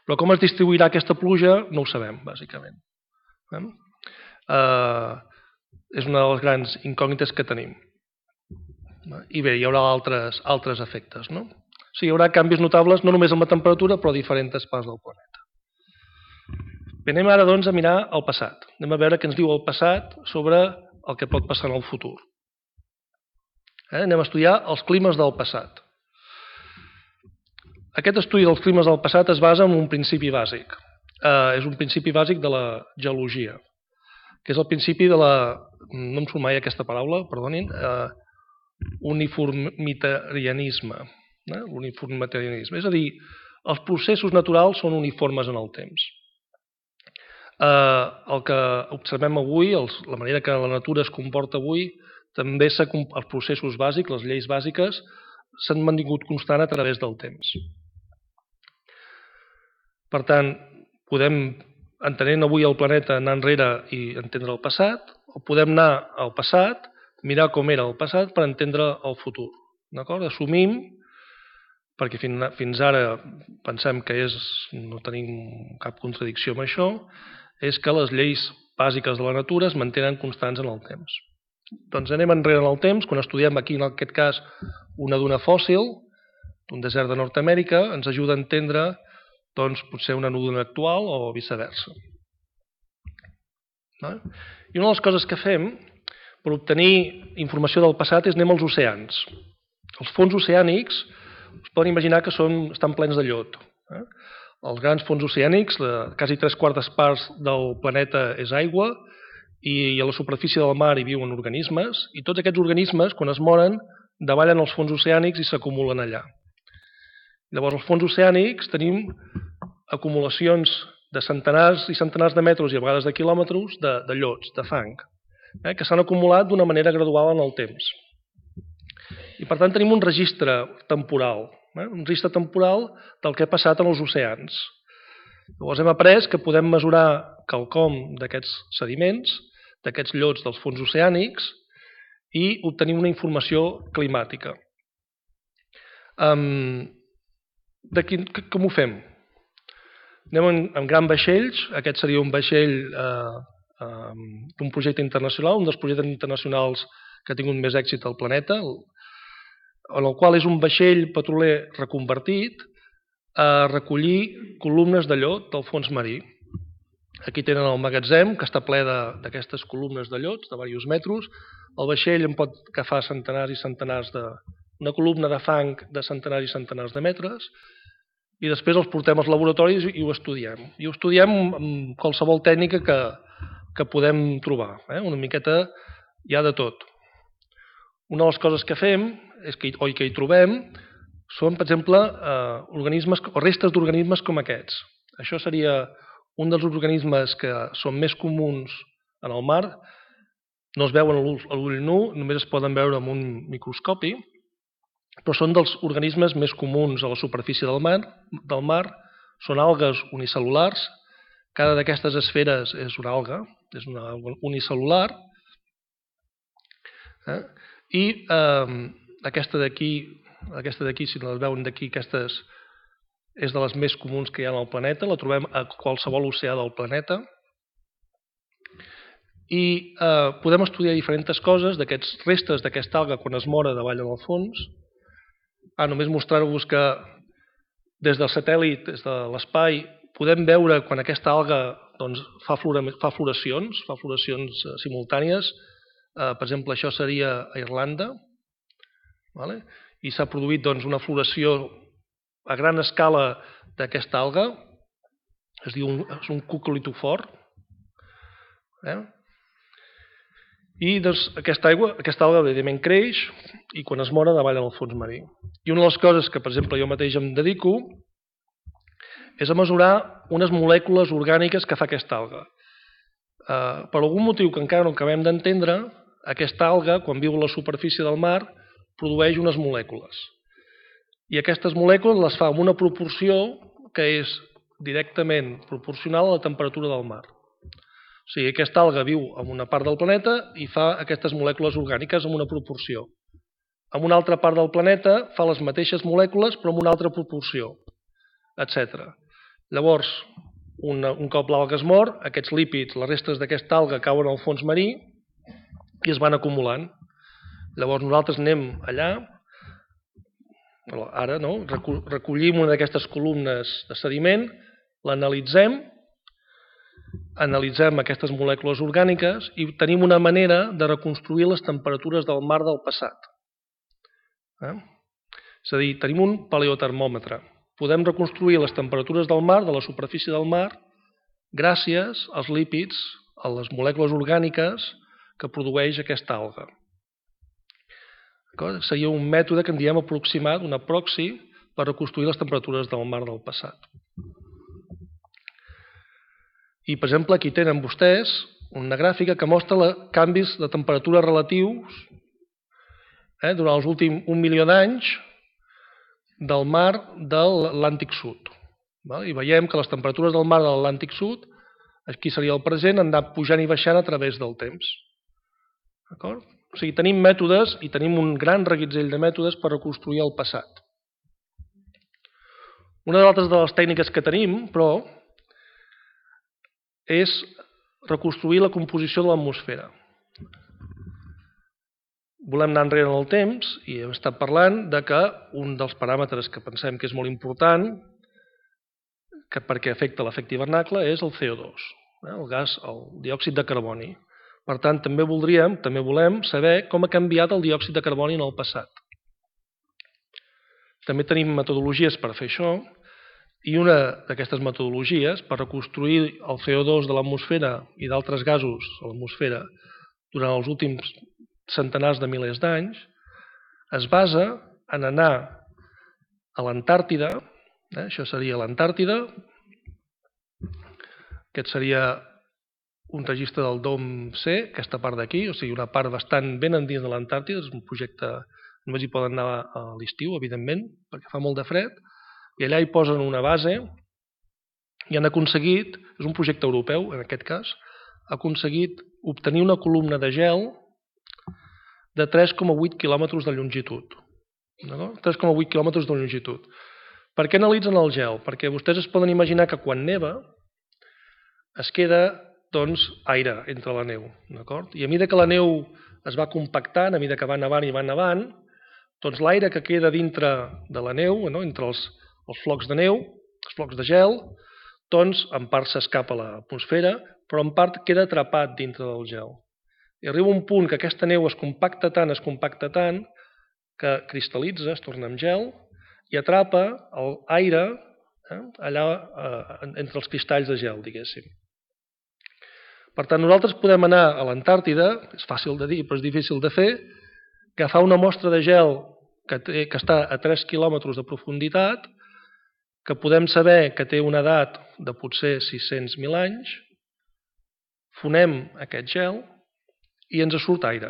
però com es distribuirà aquesta pluja no ho sabem, bàsicament. És una de les grans incògnites que tenim. I bé, hi haurà altres efectes. O sigui, hi haurà canvis notables no només en la temperatura, però a diferents parts del planeta. Bé, anem ara doncs a mirar el passat. Anem a veure què ens diu el passat sobre el que pot passar en el futur. Anem a estudiar els climes del passat. Aquest estudi dels climes del passat es basa en un principi bàsic. És un principi bàsic de la geologia, que és el principi de la, no em surt mai aquesta paraula, perdonin, uniformitarianisme. És a dir, els processos naturals són uniformes en el temps. El que observem avui, la manera que la natura es comporta avui, també els processos bàsics, les lleis bàsiques, s'han mantingut constant a través del temps. Per tant, podem, entenent avui el planeta, anar enrere i entendre el passat, o podem anar al passat, mirar com era el passat per entendre el futur. Assumim, perquè fins ara pensem que no tenim cap contradicció amb això, és que les lleis bàsiques de la natura es mantenen constants en el temps. Doncs anem enrere en el temps, quan estudiem aquí, en aquest cas, una duna fòssil, d'un desert de Nord-amèrica, ens ajuda a entendre potser una duna actual o viceversa. I una de les coses que fem per obtenir informació del passat és anem als oceans. Els fons oceànics us poden imaginar que estan plens de llot. Els grans fons oceànics, quasi 3/4 parts del planeta és aigua, i a la superfície del mar hi viuen organismes, i tots aquests organismes, quan es moren, davallen els fons oceànics i s'acumulen allà. Llavors, als fons oceànics tenim acumulacions de centenars i centenars de metres i a vegades de quilòmetres de llots, de fang, que s'han acumulat d'una manera gradual en el temps. I per tant tenim un registre temporal, del que ha passat en els oceans. Llavors hem après que podem mesurar quelcom d'aquests sediments, d'aquests llots dels fons oceànics, i obtenir una informació climàtica. Com ho fem? Anem amb grans vaixells. Aquest seria un vaixell d'un projecte internacional, un dels projectes internacionals que ha tingut més èxit al planeta, en el qual és un vaixell petroler reconvertit a recollir columnes de llot del fons marí. Aquí tenen el magatzem, que està ple d'aquestes columnes de llots, de diversos metres. El vaixell en pot agafar centenars i centenars una columna de fang de centenars i centenars de metres, i després els portem als laboratoris i ho estudiem. I ho estudiem amb qualsevol tècnica que podem trobar. Una miqueta hi ha de tot. Una de les coses que fem, o que hi trobem, són, per exemple, restes d'organismes com aquests. Això seria un dels organismes que són més comuns en el mar. No es veuen a l'ull nu, només es poden veure amb un microscopi, però són dels organismes més comuns a la superfície del mar. Són algues unicel·lulars. Cada d'aquestes esferes és una alga unicel·lular. I aquesta d'aquí, si les veuen d'aquí, aquestes és de les més comuns que hi ha al planeta, la trobem a qualsevol oceà del planeta. I podem estudiar diferents coses d'aquests restes d'aquesta alga quan es mora davall en el fons. Només mostrar-vos que des del satèl·lit, des de l'espai, podem veure quan aquesta alga fa floracions simultànies. Per exemple, això seria a Irlanda, i s'ha produït una floració a gran escala d'aquesta alga. És un cucolitofort. I aquesta alga evidentment creix i quan es mora davall en el fons marí. I una de les coses que, per exemple, jo mateix em dedico és a mesurar unes molècules orgàniques que fa aquesta alga. Per algun motiu que encara no acabem d'entendre, aquesta alga, quan viu a la superfície del mar, produeix unes molècules. I aquestes molècules les fa amb una proporció que és directament proporcional a la temperatura del mar. O sigui, aquesta alga viu en una part del planeta i fa aquestes molècules orgàniques en una proporció. En una altra part del planeta fa les mateixes molècules però en una altra proporció, etc. Llavors, un cop l'alga es mor, aquests lípids, les restes d'aquesta alga cauen al fons marí i es van acumulant. Llavors nosaltres anem allà, ara recollim una d'aquestes columnes de sediment, l'analitzem, analitzem aquestes molècules orgàniques i tenim una manera de reconstruir les temperatures del mar del passat. És a dir, tenim un paleotermòmetre. Podem reconstruir les temperatures del mar, de la superfície del mar, gràcies als lípids, a les molècules orgàniques que produeix aquesta alga. Seria un mètode que en diem aproximat, un proxy, per reconstruir les temperatures del mar del passat. I, per exemple, aquí tenen vostès una gràfica que mostra canvis de temperatura relatius durant els últims 1 milió d'anys del mar de l'Atlàntic Sud. I veiem que les temperatures del mar de l'Atlàntic Sud, aquí seria el present, han anat pujant i baixant a través del temps. D'acord? O sigui, tenim mètodes i tenim un gran reguitzell de mètodes per reconstruir el passat. Una de les tècniques que tenim, però, és reconstruir la composició de l'atmosfera. Volem anar enrere en el temps i hem estat parlant de que un dels paràmetres que pensem que és molt important perquè afecta l'efecte hivernacle és el CO2, el gas, el diòxid de carboni. Per tant, també volem saber com ha canviat el diòxid de carboni en el passat. També tenim metodologies per fer això, i una d'aquestes metodologies per reconstruir el CO2 de l'atmosfera i d'altres gasos a l'atmosfera durant els últims centenars de milers d'anys es basa en anar a l'Antàrtida, això seria l'Antàrtida, aquest seria un registre del DOM-C, aquesta part d'aquí, o sigui, una part bastant ben endins de l'Antàrtida, és un projecte, només hi poden anar a l'estiu, evidentment, perquè fa molt de fred, i allà hi posen una base i han aconseguit, és un projecte europeu en aquest cas, ha aconseguit obtenir una columna de gel de 3,8 quilòmetres de longitud. 3,8 quilòmetres de longitud. Per què analitzen el gel? Perquè vostès es poden imaginar que quan neva es queda aire entre la neu. I a mesura que la neu es va compactant, a mesura que va nevant i va nevant, l'aire que queda dintre de la neu, entre els flocs de neu, els flocs de gel, doncs en part s'escapa a l'atmosfera, però en part queda atrapat dintre del gel. I arriba un punt que aquesta neu es compacta tant, que cristal·litza, es torna en gel, i atrapa l'aire allà entre els cristalls de gel, diguéssim. Per tant, nosaltres podem anar a l'Antàrtida, és fàcil de dir, però és difícil de fer, agafar una mostra de gel que està a 3 quilòmetres de profunditat, que podem saber que té una edat de potser 600.000 anys, fonem aquest gel i ens surt aire.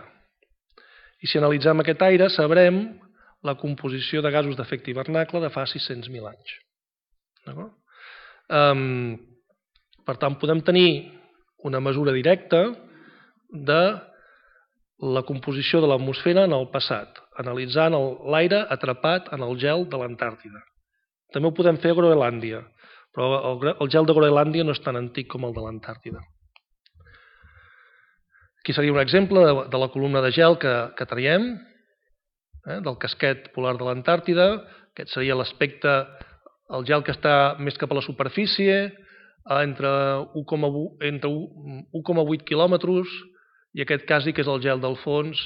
I si analitzem aquest aire sabrem la composició de gasos d'efecte hivernacle de fa 600.000 anys. Per tant, podem tenir una mesura directa de la composició de l'atmosfera en el passat, analitzant l'aire atrapat en el gel de l'Antàrtida. També ho podem fer a Groenlàndia, però el gel de Groenlàndia no és tan antic com el de l'Antàrtida. Aquí seria un exemple de la columna de gel que traiem, del casquet polar de l'Antàrtida. Aquest seria l'aspecte, el gel que està més cap a la superfície, entre 1,8 quilòmetres, i aquest quasi que és el gel del fons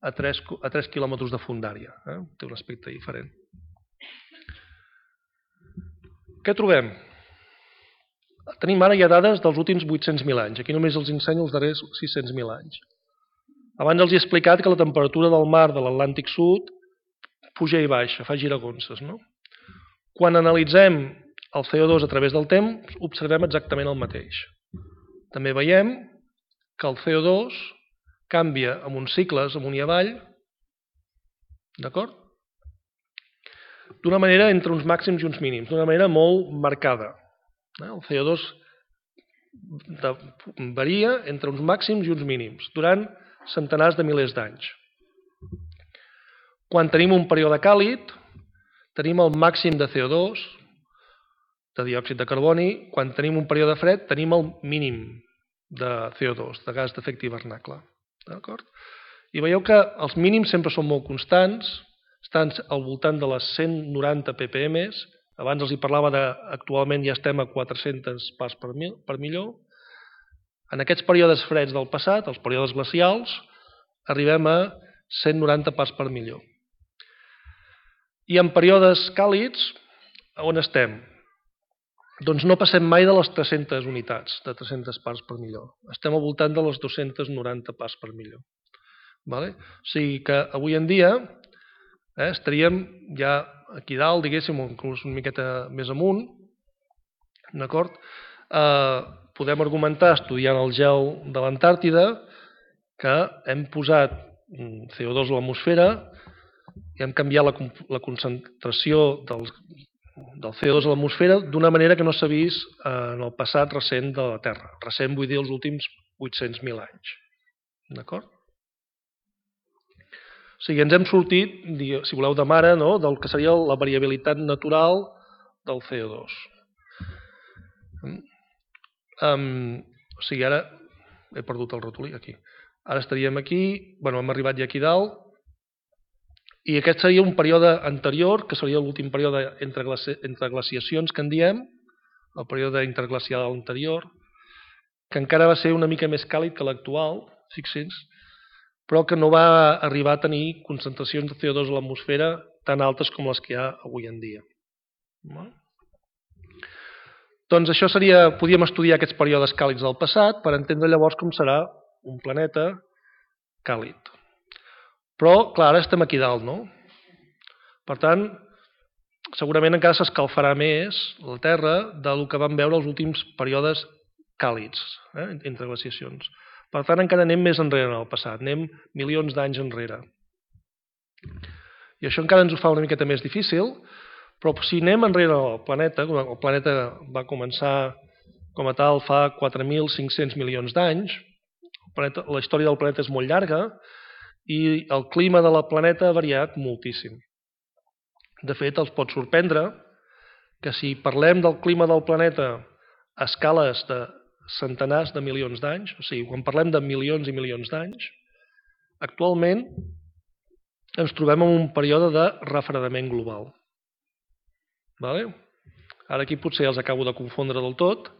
a 3 quilòmetres de fondària. Té un aspecte diferent. Què trobem? Tenim ara ja dades dels últims 800.000 anys. Aquí només els ensenyo els darrers 600.000 anys. Abans els he explicat que la temperatura del mar de l'Atlàntic Sud puja i baixa, fa giragonses. Quan analitzem el CO2 a través del temps, observem exactament el mateix. També veiem que el CO2 canvia amb uns cicles amunt i avall, d'acord? D'una manera entre uns màxims i uns mínims, d'una manera molt marcada. El CO2 varia entre uns màxims i uns mínims durant centenars de milers d'anys. Quan tenim un període càlid, tenim el màxim de CO2, de diòxid de carboni. Quan tenim un període fred, tenim el mínim de CO2, de gas d'efecte hivernacle. I veieu que els mínims sempre són molt constants, estan al voltant de les 190 ppm. Abans els hi parlava actualment ja estem a 400 parts per milió. En aquests períodes freds del passat, els períodes glacials, arribem a 190 parts per milió. I en períodes càlids, on estem? Doncs no passem mai de les 300 unitats, de 300 parts per milió. Estem al voltant de les 290 parts per milió. O sigui que avui en dia estaríem ja aquí dalt, diguéssim, o inclús una miqueta més amunt, d'acord? Podem argumentar, estudiant el gel de l'Antàrtida, que hem posat CO2 a l'atmosfera i hem canviat la concentració del CO2 a l'atmosfera d'una manera que no s'ha vist en el passat recent de la Terra. Recent vull dir els últims 800.000 anys. D'acord? O sigui, ens hem sortit, si voleu, de mare, del que seria la variabilitat natural del CO2. O sigui, ara he perdut el ratolí, aquí. Ara estaríem aquí, hem arribat ja aquí dalt, i aquest seria un període anterior, que seria l'últim període entre glaciacions que en diem, el període interglacial anterior, que encara va ser una mica més càlid que l'actual, fixin-se, però que no va arribar a tenir concentracions de CO2 a l'atmosfera tan altes com les que hi ha avui en dia. Doncs això seria, podíem estudiar aquests períodes càlids del passat per entendre llavors com serà un planeta càlid. Però, clar, ara estem aquí dalt, no? Per tant, segurament encara s'escalfarà més la Terra del que vam veure els últims períodes càlids, entre glaciacions. Per tant, encara anem més enrere en el passat, anem milions d'anys enrere. I això encara ens ho fa una miqueta més difícil, però si anem enrere al planeta, el planeta va començar com a tal fa 4.500 milions d'anys, la història del planeta és molt llarga i el clima de la planeta ha variat moltíssim. De fet, els pot sorprendre que si parlem del clima del planeta a escales de centenars de milions d'anys, o sigui, quan parlem de milions i milions d'anys, actualment ens trobem en un període de refredament global. Ara aquí potser els acabo de confondre del tot,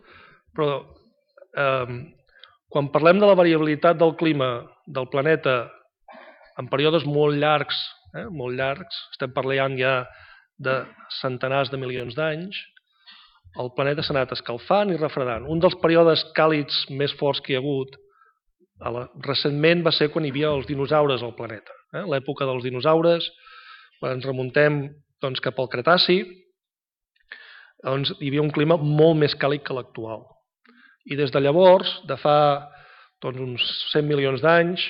però quan parlem de la variabilitat del clima del planeta en períodes molt llargs, estem parlant ja de centenars de milions d'anys, el planeta s'ha anat escalfant i refredant. Un dels períodes càlids més forts que hi ha hagut recentment va ser quan hi havia els dinosaures al planeta. L'època dels dinosaures, quan ens remuntem cap al Cretaci, hi havia un clima molt més càlid que l'actual. I des de llavors, de fa uns 100 milions d'anys,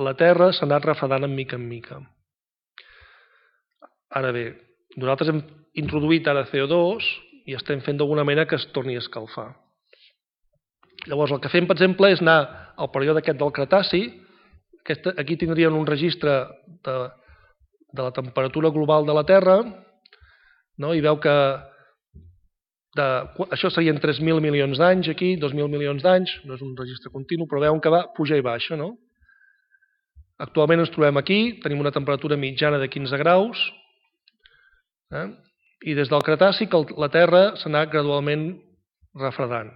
la Terra s'ha anat refredant en mica. Ara bé, nosaltres hem introduït ara CO2 i estem fent d'alguna manera que es torni a escalfar. Llavors, el que fem, per exemple, és anar al període aquest del Cretaci. Aquí tindrien un registre de la temperatura global de la Terra, i veu que això serien 3.000 milions d'anys aquí, 2.000 milions d'anys, no és un registre continu, però veuen que va pujar i baixa. Actualment ens trobem aquí, tenim una temperatura mitjana de 15 graus, i des del Cretaci que la Terra s'ha anat gradualment refredant.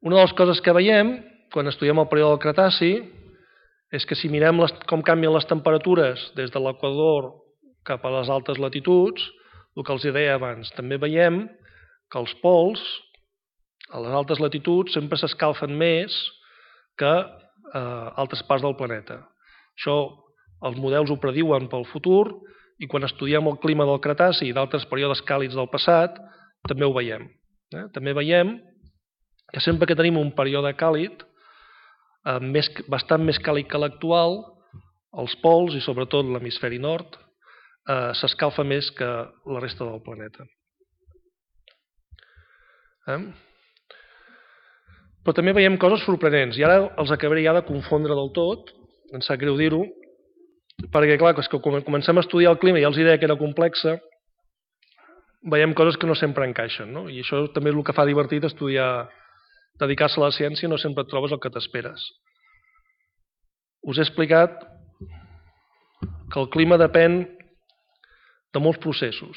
Una de les coses que veiem quan estudiem el període del Cretaci és que si mirem com canvien les temperatures des de l'equador cap a les altes latituds, el que els deia abans, també veiem que els pols a les altes latituds sempre s'escalfen més que a altres parts del planeta. Això els models ho prediuen pel futur i quan estudiem el clima del Cretaci i d'altres períodes càlids del passat també ho veiem. També veiem que sempre que tenim un període càlid bastant més càlid que l'actual, els pols i sobretot l'hemisferi nord s'escalfa més que la resta del planeta. Però també veiem coses sorprenents i ara els acabaré ja de confondre del tot, em sap greu dir-ho, perquè clar, quan comencem a estudiar el clima ja els deia que era complexa, veiem coses que no sempre encaixen, i això també és el que fa divertit estudiar, dedicar-se a la ciència, no sempre et trobes el que t'esperes. Us he explicat que el clima depèn de molts processos,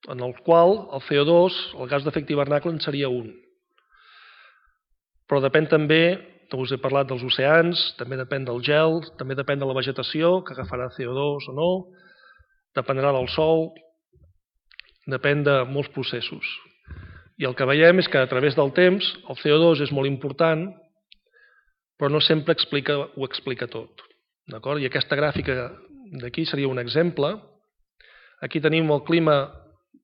en el qual el CO2, el gas d'efecte hivernacle, en seria un. Però depèn també, us he parlat dels oceans, també depèn del gel, també depèn de la vegetació, que agafarà CO2 o no, dependrà del sol, depèn de molts processos. I el que veiem és que a través del temps el CO2 és molt important, però no sempre ho explica tot. I aquesta gràfica d'aquí seria un exemple. Aquí tenim el clima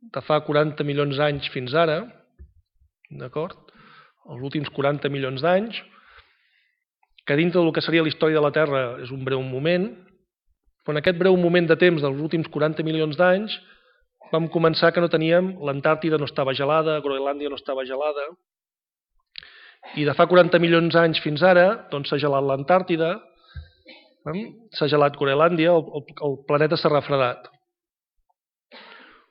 de fa 40 milions d'anys fins ara, els últims 40 milions d'anys, que dintre del que seria la història de la Terra és un breu moment, però en aquest breu moment de temps dels últims 40 milions d'anys vam començar que no teníem, l'Antàrtida no estava gelada, Groenlàndia no estava gelada, i de fa 40 milions d'anys fins ara s'ha gelat l'Antàrtida, s'ha gelat Groenlàndia, el planeta s'ha refredat.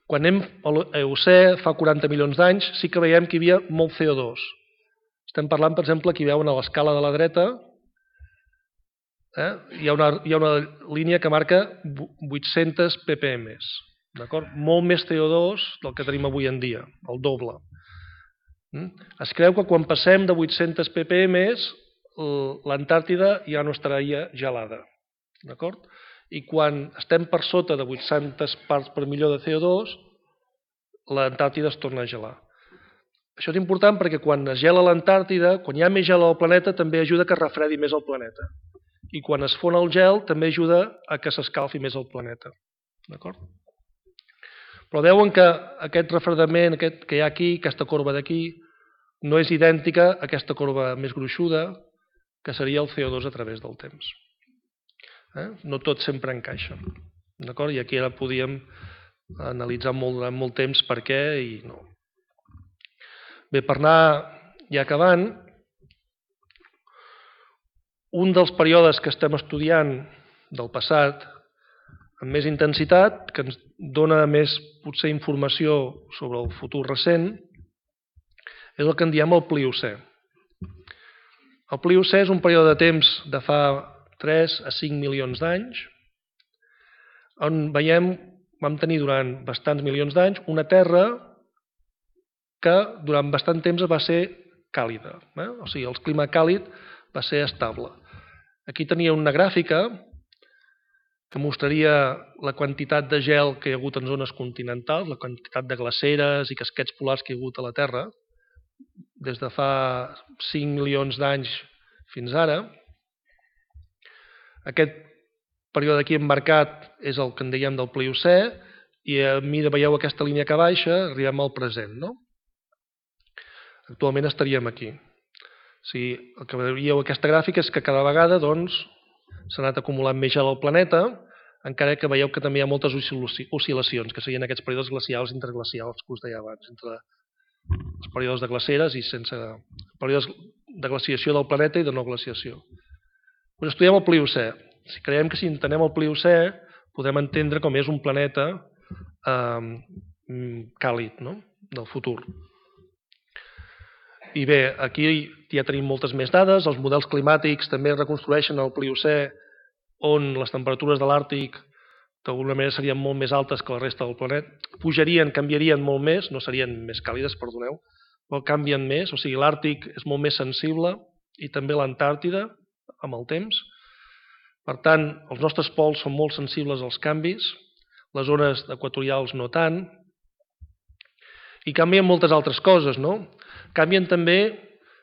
Quan anem a l'Eocè, fa 40 milions d'anys, sí que veiem que hi havia molt CO2. Estem parlant, per exemple, aquí veuen a l'escala de la dreta, hi ha una línia que marca 800 ppm. Molt més CO2 del que tenim avui en dia, el doble. Es creu que quan passem de 800 ppm l'Antàrtida ja no estaria gelada. I quan estem per sota de 800 parts per milió de CO2, l'Antàrtida es torna a gelar. Això és important perquè quan es gela l'Antàrtida, quan hi ha més gel al planeta, també ajuda que es refredi més el planeta. I quan es fon el gel, també ajuda a que s'escalfi més el planeta. Però veuen que aquest refredament que hi ha aquí, aquesta corba d'aquí, no és idèntica a aquesta corba més gruixuda, que seria el CO2 a través del temps. No tot sempre encaixa. I aquí ara podíem analitzar durant molt temps per què i no. Bé, per anar ja acabant, un dels períodes que estem estudiant del passat amb més intensitat, que ens dona més potser informació sobre el futur recent, és el que en diem el Pliocè. El Pliocè és un període de temps de fa 3 a 5 milions d'anys, on veiem, vam tenir durant bastants milions d'anys una Terra que durant bastant temps va ser càlida. O sigui, el clima càlid va ser estable. Aquí tenia una gràfica que mostraria la quantitat de gel que hi ha hagut en zones continentals, la quantitat de glaceres i casquets polars que hi ha hagut a la Terra, des de fa 5 milions d'anys fins ara. Aquest període aquí emmarcat és el que en dèiem del Pliocè, i a mesura veieu aquesta línia que baixa, arribem al present, no? Actualment estaríem aquí. O sigui, el que veieu aquesta gràfica és que cada vegada s'ha anat acumulant més gel al planeta, encara que veieu que també hi ha moltes oscil·lacions, que serien aquests períodes glacials i interglacials que us deia abans, entre els períodes de glaceres i sense períodes de glaciació del planeta i de no glaciació. Doncs estudiem el Pliocè. Si creiem que si entenem el Pliocè podem entendre com és un planeta càlid, no? Del futur. I bé, aquí ja tenim moltes més dades, els models climàtics també reconstrueixen el Pliocè, on les temperatures de l'Àrtic d'alguna manera serien molt més altes que la resta del planeta, pujarien, canviarien molt més, no serien més càlides, perdoneu, però canvien més, o sigui, l'Àrtic és molt més sensible i també l'Antàrtida amb el temps. Per tant, els nostres pols són molt sensibles als canvis, les zones equatorials no tant, i canvien moltes altres coses, no? Canvien també,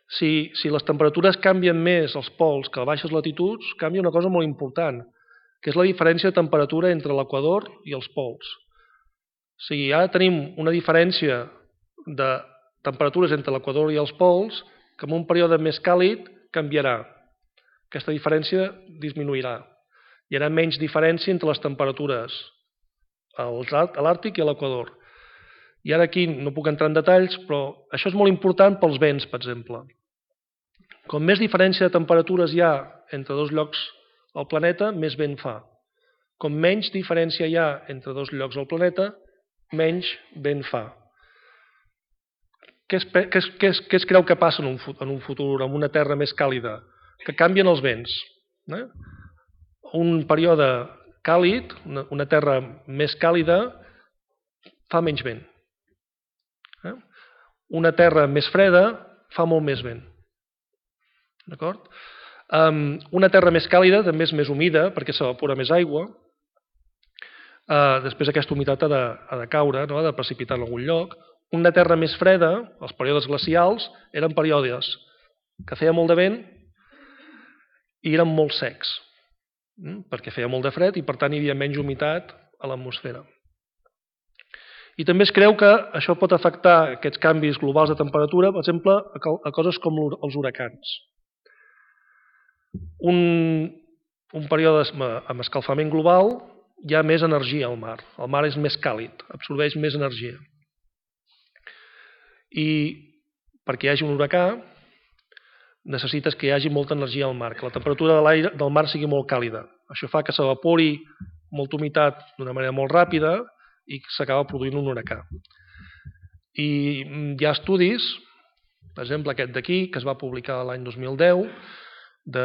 si les temperatures canvien més als pols que a baixes latituds, canvia una cosa molt important, que és la diferència de temperatura entre l'equador i els pols. O sigui, ara tenim una diferència de temperatures entre l'equador i els pols que en un període més càlid canviarà. Aquesta diferència disminuirà. Hi haurà menys diferència entre les temperatures a l'Àrtic i a l'equador. I ara aquí no puc entrar en detalls, però això és molt important pels vents, per exemple. Com més diferència de temperatures hi ha entre dos llocs al planeta, més vent fa. Com menys diferència hi ha entre dos llocs al planeta, menys vent fa. Què es creu que passa en un futur, en una Terra més càlida? Que canvien els vents. Un període càlid, una Terra més càlida, fa menys vent. Una Terra més freda fa molt més vent. D'acord? Una Terra més càlida també és més humida perquè s'evapora més aigua. Després aquesta humitat ha de caure, ha de precipitar en algun lloc. Una Terra més freda, els períodes glacials, eren períodes que feia molt de vent i eren molt secs, perquè feia molt de fred i per tant hi havia menys humitat a l'atmosfera. I també es creu que això pot afectar aquests canvis globals de temperatura, per exemple, a coses com els huracans. Un període amb escalfament global hi ha més energia al mar. El mar és més càlid, absorbeix més energia. I perquè hi hagi un huracà necessites que hi hagi molta energia al mar, que la temperatura del mar sigui molt càlida. Això fa que s'evapori molta humitat d'una manera molt ràpida i s'acaba produint un huracà. I hi ha estudis, per exemple aquest d'aquí, que es va publicar l'any 2010, de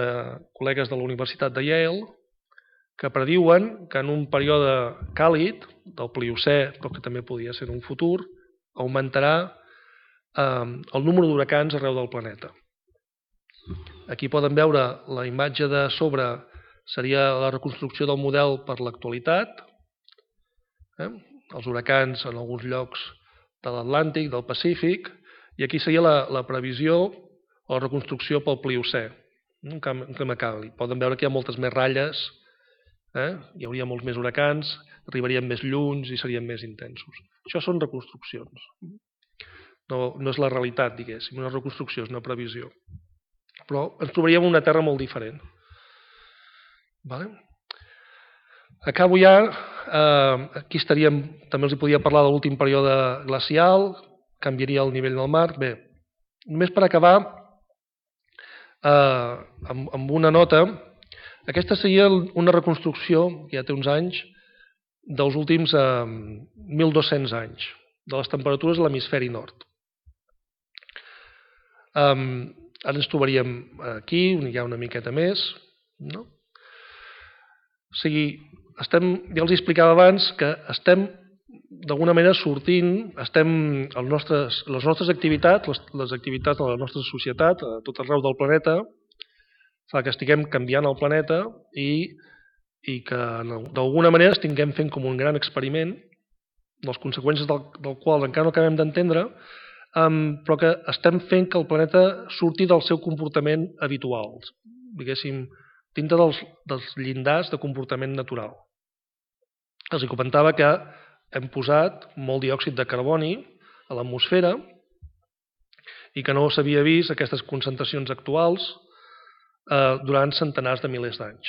col·legues de la Universitat de Yale, que prediuen que en un període càlid, del Pliocè, però que també podria ser en un futur, augmentarà el número d'huracans arreu del planeta. Aquí poden veure la imatge de sobre, seria la reconstrucció del model per l'actualitat, els huracans en alguns llocs de l'Atlàntic, del Pacífic, i aquí seria la previsió o la reconstrucció pel Pliocè, un clima càlid. Poden veure que hi ha moltes més ratlles, hi hauria molts més huracans, arribarien més lluny i serien més intensos. Això són reconstruccions. No és la realitat, diguéssim, una reconstrucció, és una previsió. Però ens trobaríem una Terra molt diferent. Acabo ja, aquí estaríem, també els podia parlar de l'últim període glacial, canviaria el nivell del mar. Bé, només per acabar amb una nota, aquesta seria una reconstrucció, que ja té uns anys, dels últims 1.200 anys, de les temperatures a l'hemisferi nord. Ara ens trobaríem aquí, ja una miqueta més, no? O sigui, ja els explicava abans que estem d'alguna manera sortint, les nostres activitats, les activitats de la nostra societat, a tot arreu del planeta, fa que estiguem canviant el planeta i que d'alguna manera estiguem fent com un gran experiment, les conseqüències del qual encara no acabem d'entendre, però que estem fent que el planeta surti del seu comportament habitual, diguéssim, dintre dels llindars de comportament natural. Els comentava que hem posat molt diòxid de carboni a l'atmosfera i que no s'havia vist aquestes concentracions actuals durant centenars de milers d'anys.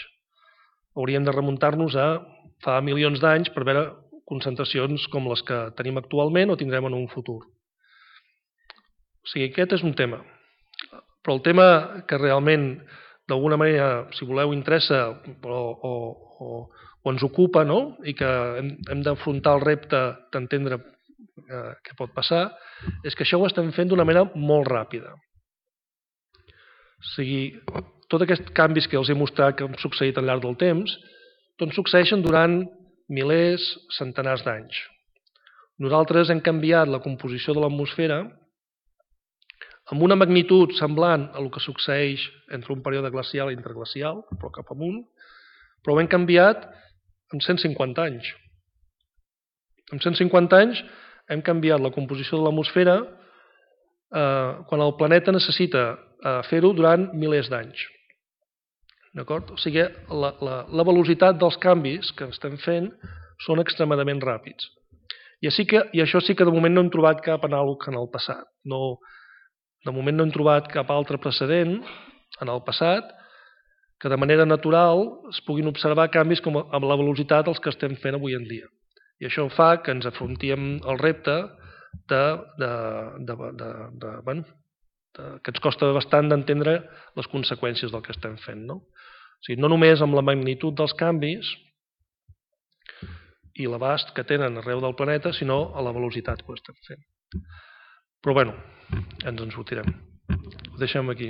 Hauríem de remuntar-nos a fa milions d'anys per veure concentracions com les que tenim actualment o tindrem en un futur. O sigui, aquest és un tema. Però el tema que realment, d'alguna manera, si voleu, interessa o ens ocupa, no? I que hem d'afrontar el repte d'entendre què pot passar, és que això ho estem fent d'una manera molt ràpida. O sigui, tots aquests canvis que els he mostrat que han succeït al llarg del temps, doncs succeeixen durant milers, centenars d'anys. Nosaltres hem canviat la composició de l'atmosfera amb una magnitud semblant a el que succeeix entre un període glacial i interglacial, però cap amunt, però ho hem canviat en 150 anys. En 150 anys hem canviat la composició de l'atmosfera quan el planeta necessita fer-ho durant milers d'anys. D'acord? O sigui, la velocitat dels canvis que estem fent són extremadament ràpids. I això sí que de moment no hem trobat cap anàleg en el passat. De moment no hem trobat cap altre precedent en el passat que de manera natural es puguin observar canvis com amb la velocitat els que estem fent avui en dia. I això fa que ens afrontem el repte que ens costa bastant d'entendre les conseqüències del que estem fent. No? O sigui, no només amb la magnitud dels canvis i l'abast que tenen arreu del planeta, sinó a la velocitat que ho estem fent. Però bé, ens en sortirem. Ho deixem aquí.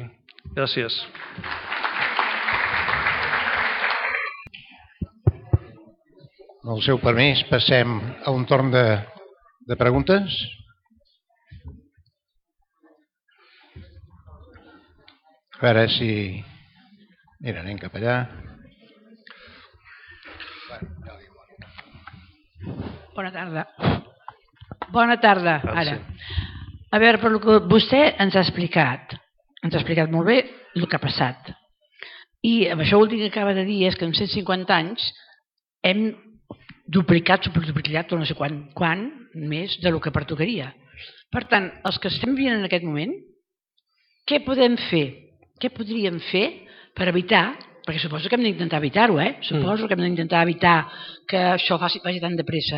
Gràcies. Amb el seu permís, passem a un torn de preguntes. A veure si... Mira, anem cap allà. Bona tarda. Bona tarda, ara. A veure, per el que vostè ens ha explicat molt bé el que ha passat. I amb això últim que acaba de dir és que en 150 anys hem duplicat, superduplicat, no sé quan més del que pertocaria. Per tant, els que estem vivint en aquest moment, què podem fer? Què podríem fer per evitar, perquè suposo que hem d'intentar evitar-ho, suposo que hem d'intentar evitar que això vagi tan de pressa.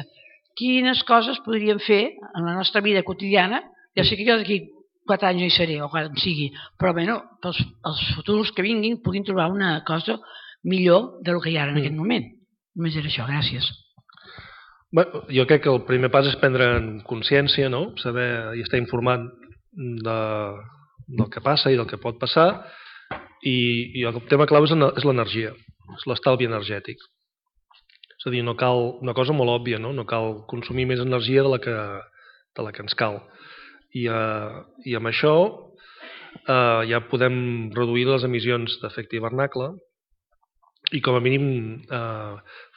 Quines coses podríem fer en la nostra vida quotidiana? Ja sé que jo d'aquí 4 anys no hi seré, o quan sigui, però bé, els futurs que vinguin puguin trobar una cosa millor del que hi ha en aquest moment. Només era això, gràcies. Bé, jo crec que el primer pas és prendre consciència, no? Saber i estar informat del que passa i del que pot passar, i el tema clau és l'energia, és l'estalvi energètic. És a dir, no cal una cosa molt òbvia, no cal consumir més energia de la que ens cal. I amb això ja podem reduir les emissions d'efecte hivernacle i com a mínim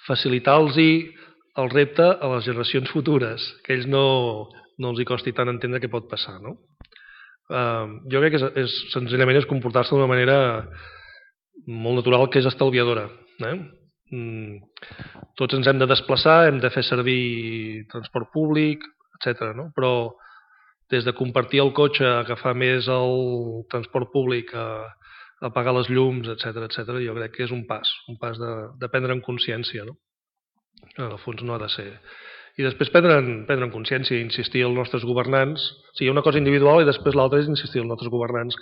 facilitar-los el repte a les generacions futures, que ells no els hi costi tant entendre què pot passar. No? Jo crec que senzillament és comportar-se d'una manera molt natural, que és estalviadora. Tots ens hem de desplaçar, hem de fer servir transport públic, etc. No? Però des de compartir el cotxe, agafar més el transport públic, apagar les llums, etc., jo crec que és un pas de prendre en consciència. No? En el fons no ha de ser. I després prendre en consciència i insistir als nostres governants. O sigui, hi ha una cosa individual i després l'altra és insistir als nostres governants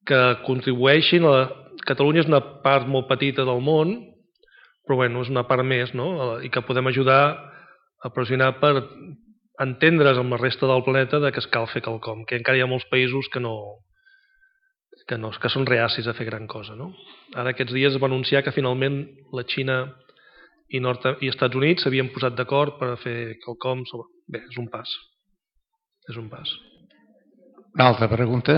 que contribueixin. Catalunya és una part molt petita del món, però bueno, és una part més, no? I que podem ajudar a pressionar per entendre's amb la resta del planeta que es cal fer quelcom, que encara hi ha molts països que no que són reacis a fer gran cosa. No? Ara aquests dies es va anunciar que finalment la Xina i Estats Units s'havien posat d'acord per fer quelcom sobre... Bé, és un pas. És un pas. Una altra pregunta?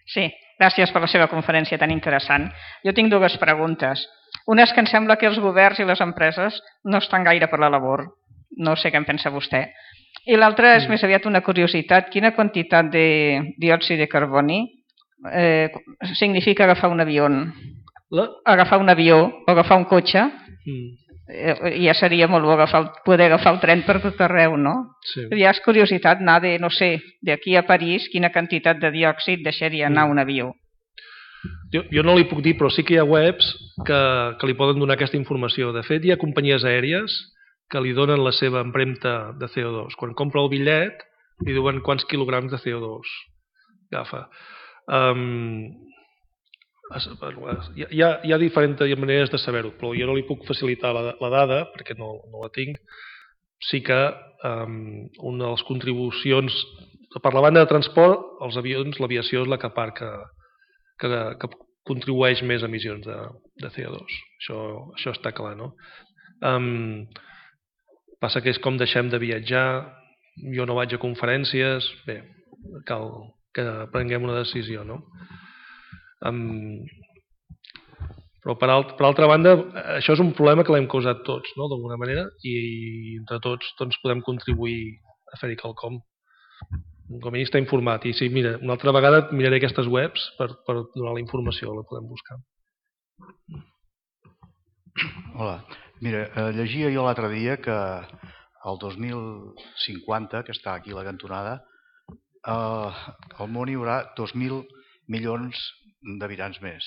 Sí, gràcies per la seva conferència tan interessant. Jo tinc dues preguntes. Una és que em sembla que els governs i les empreses no estan gaire per la labor. No sé què en pensa vostè. I l'altra és més aviat una curiositat. Quina quantitat de diòxid de carboni significa agafar un avió? Agafar un avió o agafar un cotxe? Ja seria molt bo poder agafar el tren per tot arreu, no? Sí. Ja és curiositat anar de, no sé, d'aquí a París, quina quantitat de diòxid deixaria anar un avió. Jo no li puc dir, però sí que hi ha webs que li poden donar aquesta informació. De fet, hi ha companyies aèries que li donen la seva empremta de CO2. Quan compra el bitllet, li diuen quants quilograms de CO2 agafa. Hi ha diferents maneres de saber-ho, però jo no li puc facilitar la dada, perquè no la tinc. Sí que una de les contribucions, per la banda de transport, els avions, l'aviació és la que contribueix més emissions de CO2. Això està clar, no? Passa que és com deixem de viatjar, jo no vaig a conferències, bé, cal que prenguem una decisió, no? Però per altra banda, això és un problema que l'hem causat tots, no? D'alguna manera, i entre tots podem contribuir a fer-hi quelcom. Com a mínim està informat. I sí, mira, una altra vegada miraré aquestes webs per donar la informació, la podem buscar. Hola. Mira, llegia jo l'altre dia que el 2050, que està aquí a la cantonada, al món hi haurà 2.000 milions d'habitants més.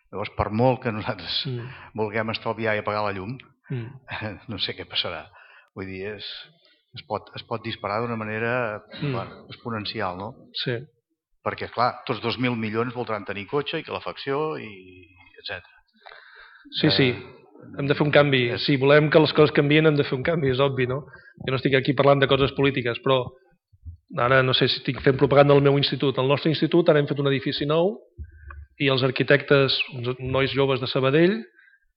Llavors, per molt que nosaltres vulguem estalviar i apagar la llum, no sé què passarà. Vull dir, es pot disparar d'una manera exponencial, no? Sí. Perquè, clar, tots 2.000 milions voldran tenir cotxe i calefacció, etc. Sí. Hem de fer un canvi. Si volem que les coses canvien, hem de fer un canvi, és obvi, no? Jo no estic aquí parlant de coses polítiques, però ara no sé si estic fent propaganda del meu institut. Al nostre institut ara hem fet un edifici nou i els arquitectes, uns nois joves de Sabadell,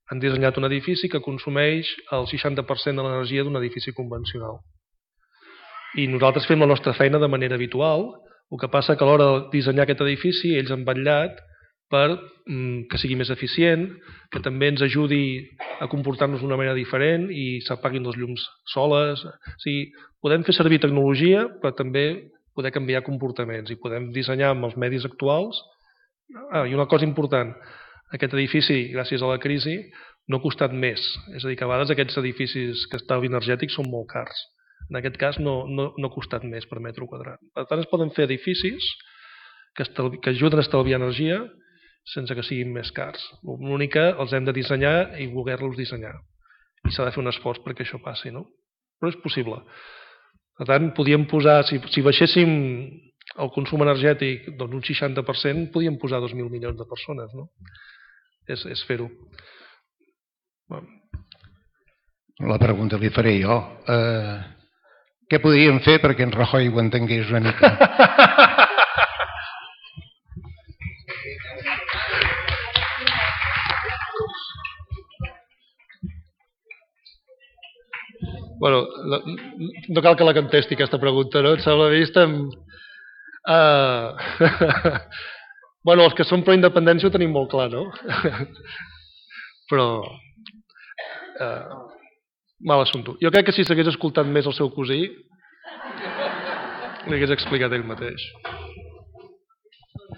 han dissenyat un edifici que consumeix el 60% de l'energia d'un edifici convencional. I nosaltres fem la nostra feina de manera habitual, el que passa que a l'hora de dissenyar aquest edifici ells han vetllat per que sigui més eficient, que també ens ajudi a comportar-nos d'una manera diferent i s'apaguin les llums soles. O sigui, podem fer servir tecnologia, però també poder canviar comportaments i podem dissenyar amb els medis actuals. I una cosa important, aquest edifici, gràcies a la crisi, no ha costat més. És a dir, que a vegades aquests edificis que estalvi energètic són molt cars. En aquest cas no ha costat més per metre quadrat. Per tant, es poden fer edificis que ajuden a estalviar energia sense que siguin més cars. L'únic que els hem de dissenyar i voler-los dissenyar. I s'ha de fer un esforç perquè això passi, no? Però és possible. Per tant, podíem posar, si baixéssim el consum energètic doncs un 60%, podíem posar 2.000 milions de persones, no? És fer-ho. La pregunta li faré jo. Què podríem fer perquè en Rajoy ho entengués una mica? Bueno, no cal que la contesti aquesta pregunta, no? Em sembla vista bueno, els que som pro independència ho tenim molt clar, no? Però mal assumpte. Jo crec que si s'hagués escoltat més el seu cosí li hagués explicat ell mateix.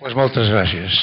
Pues moltes gràcies.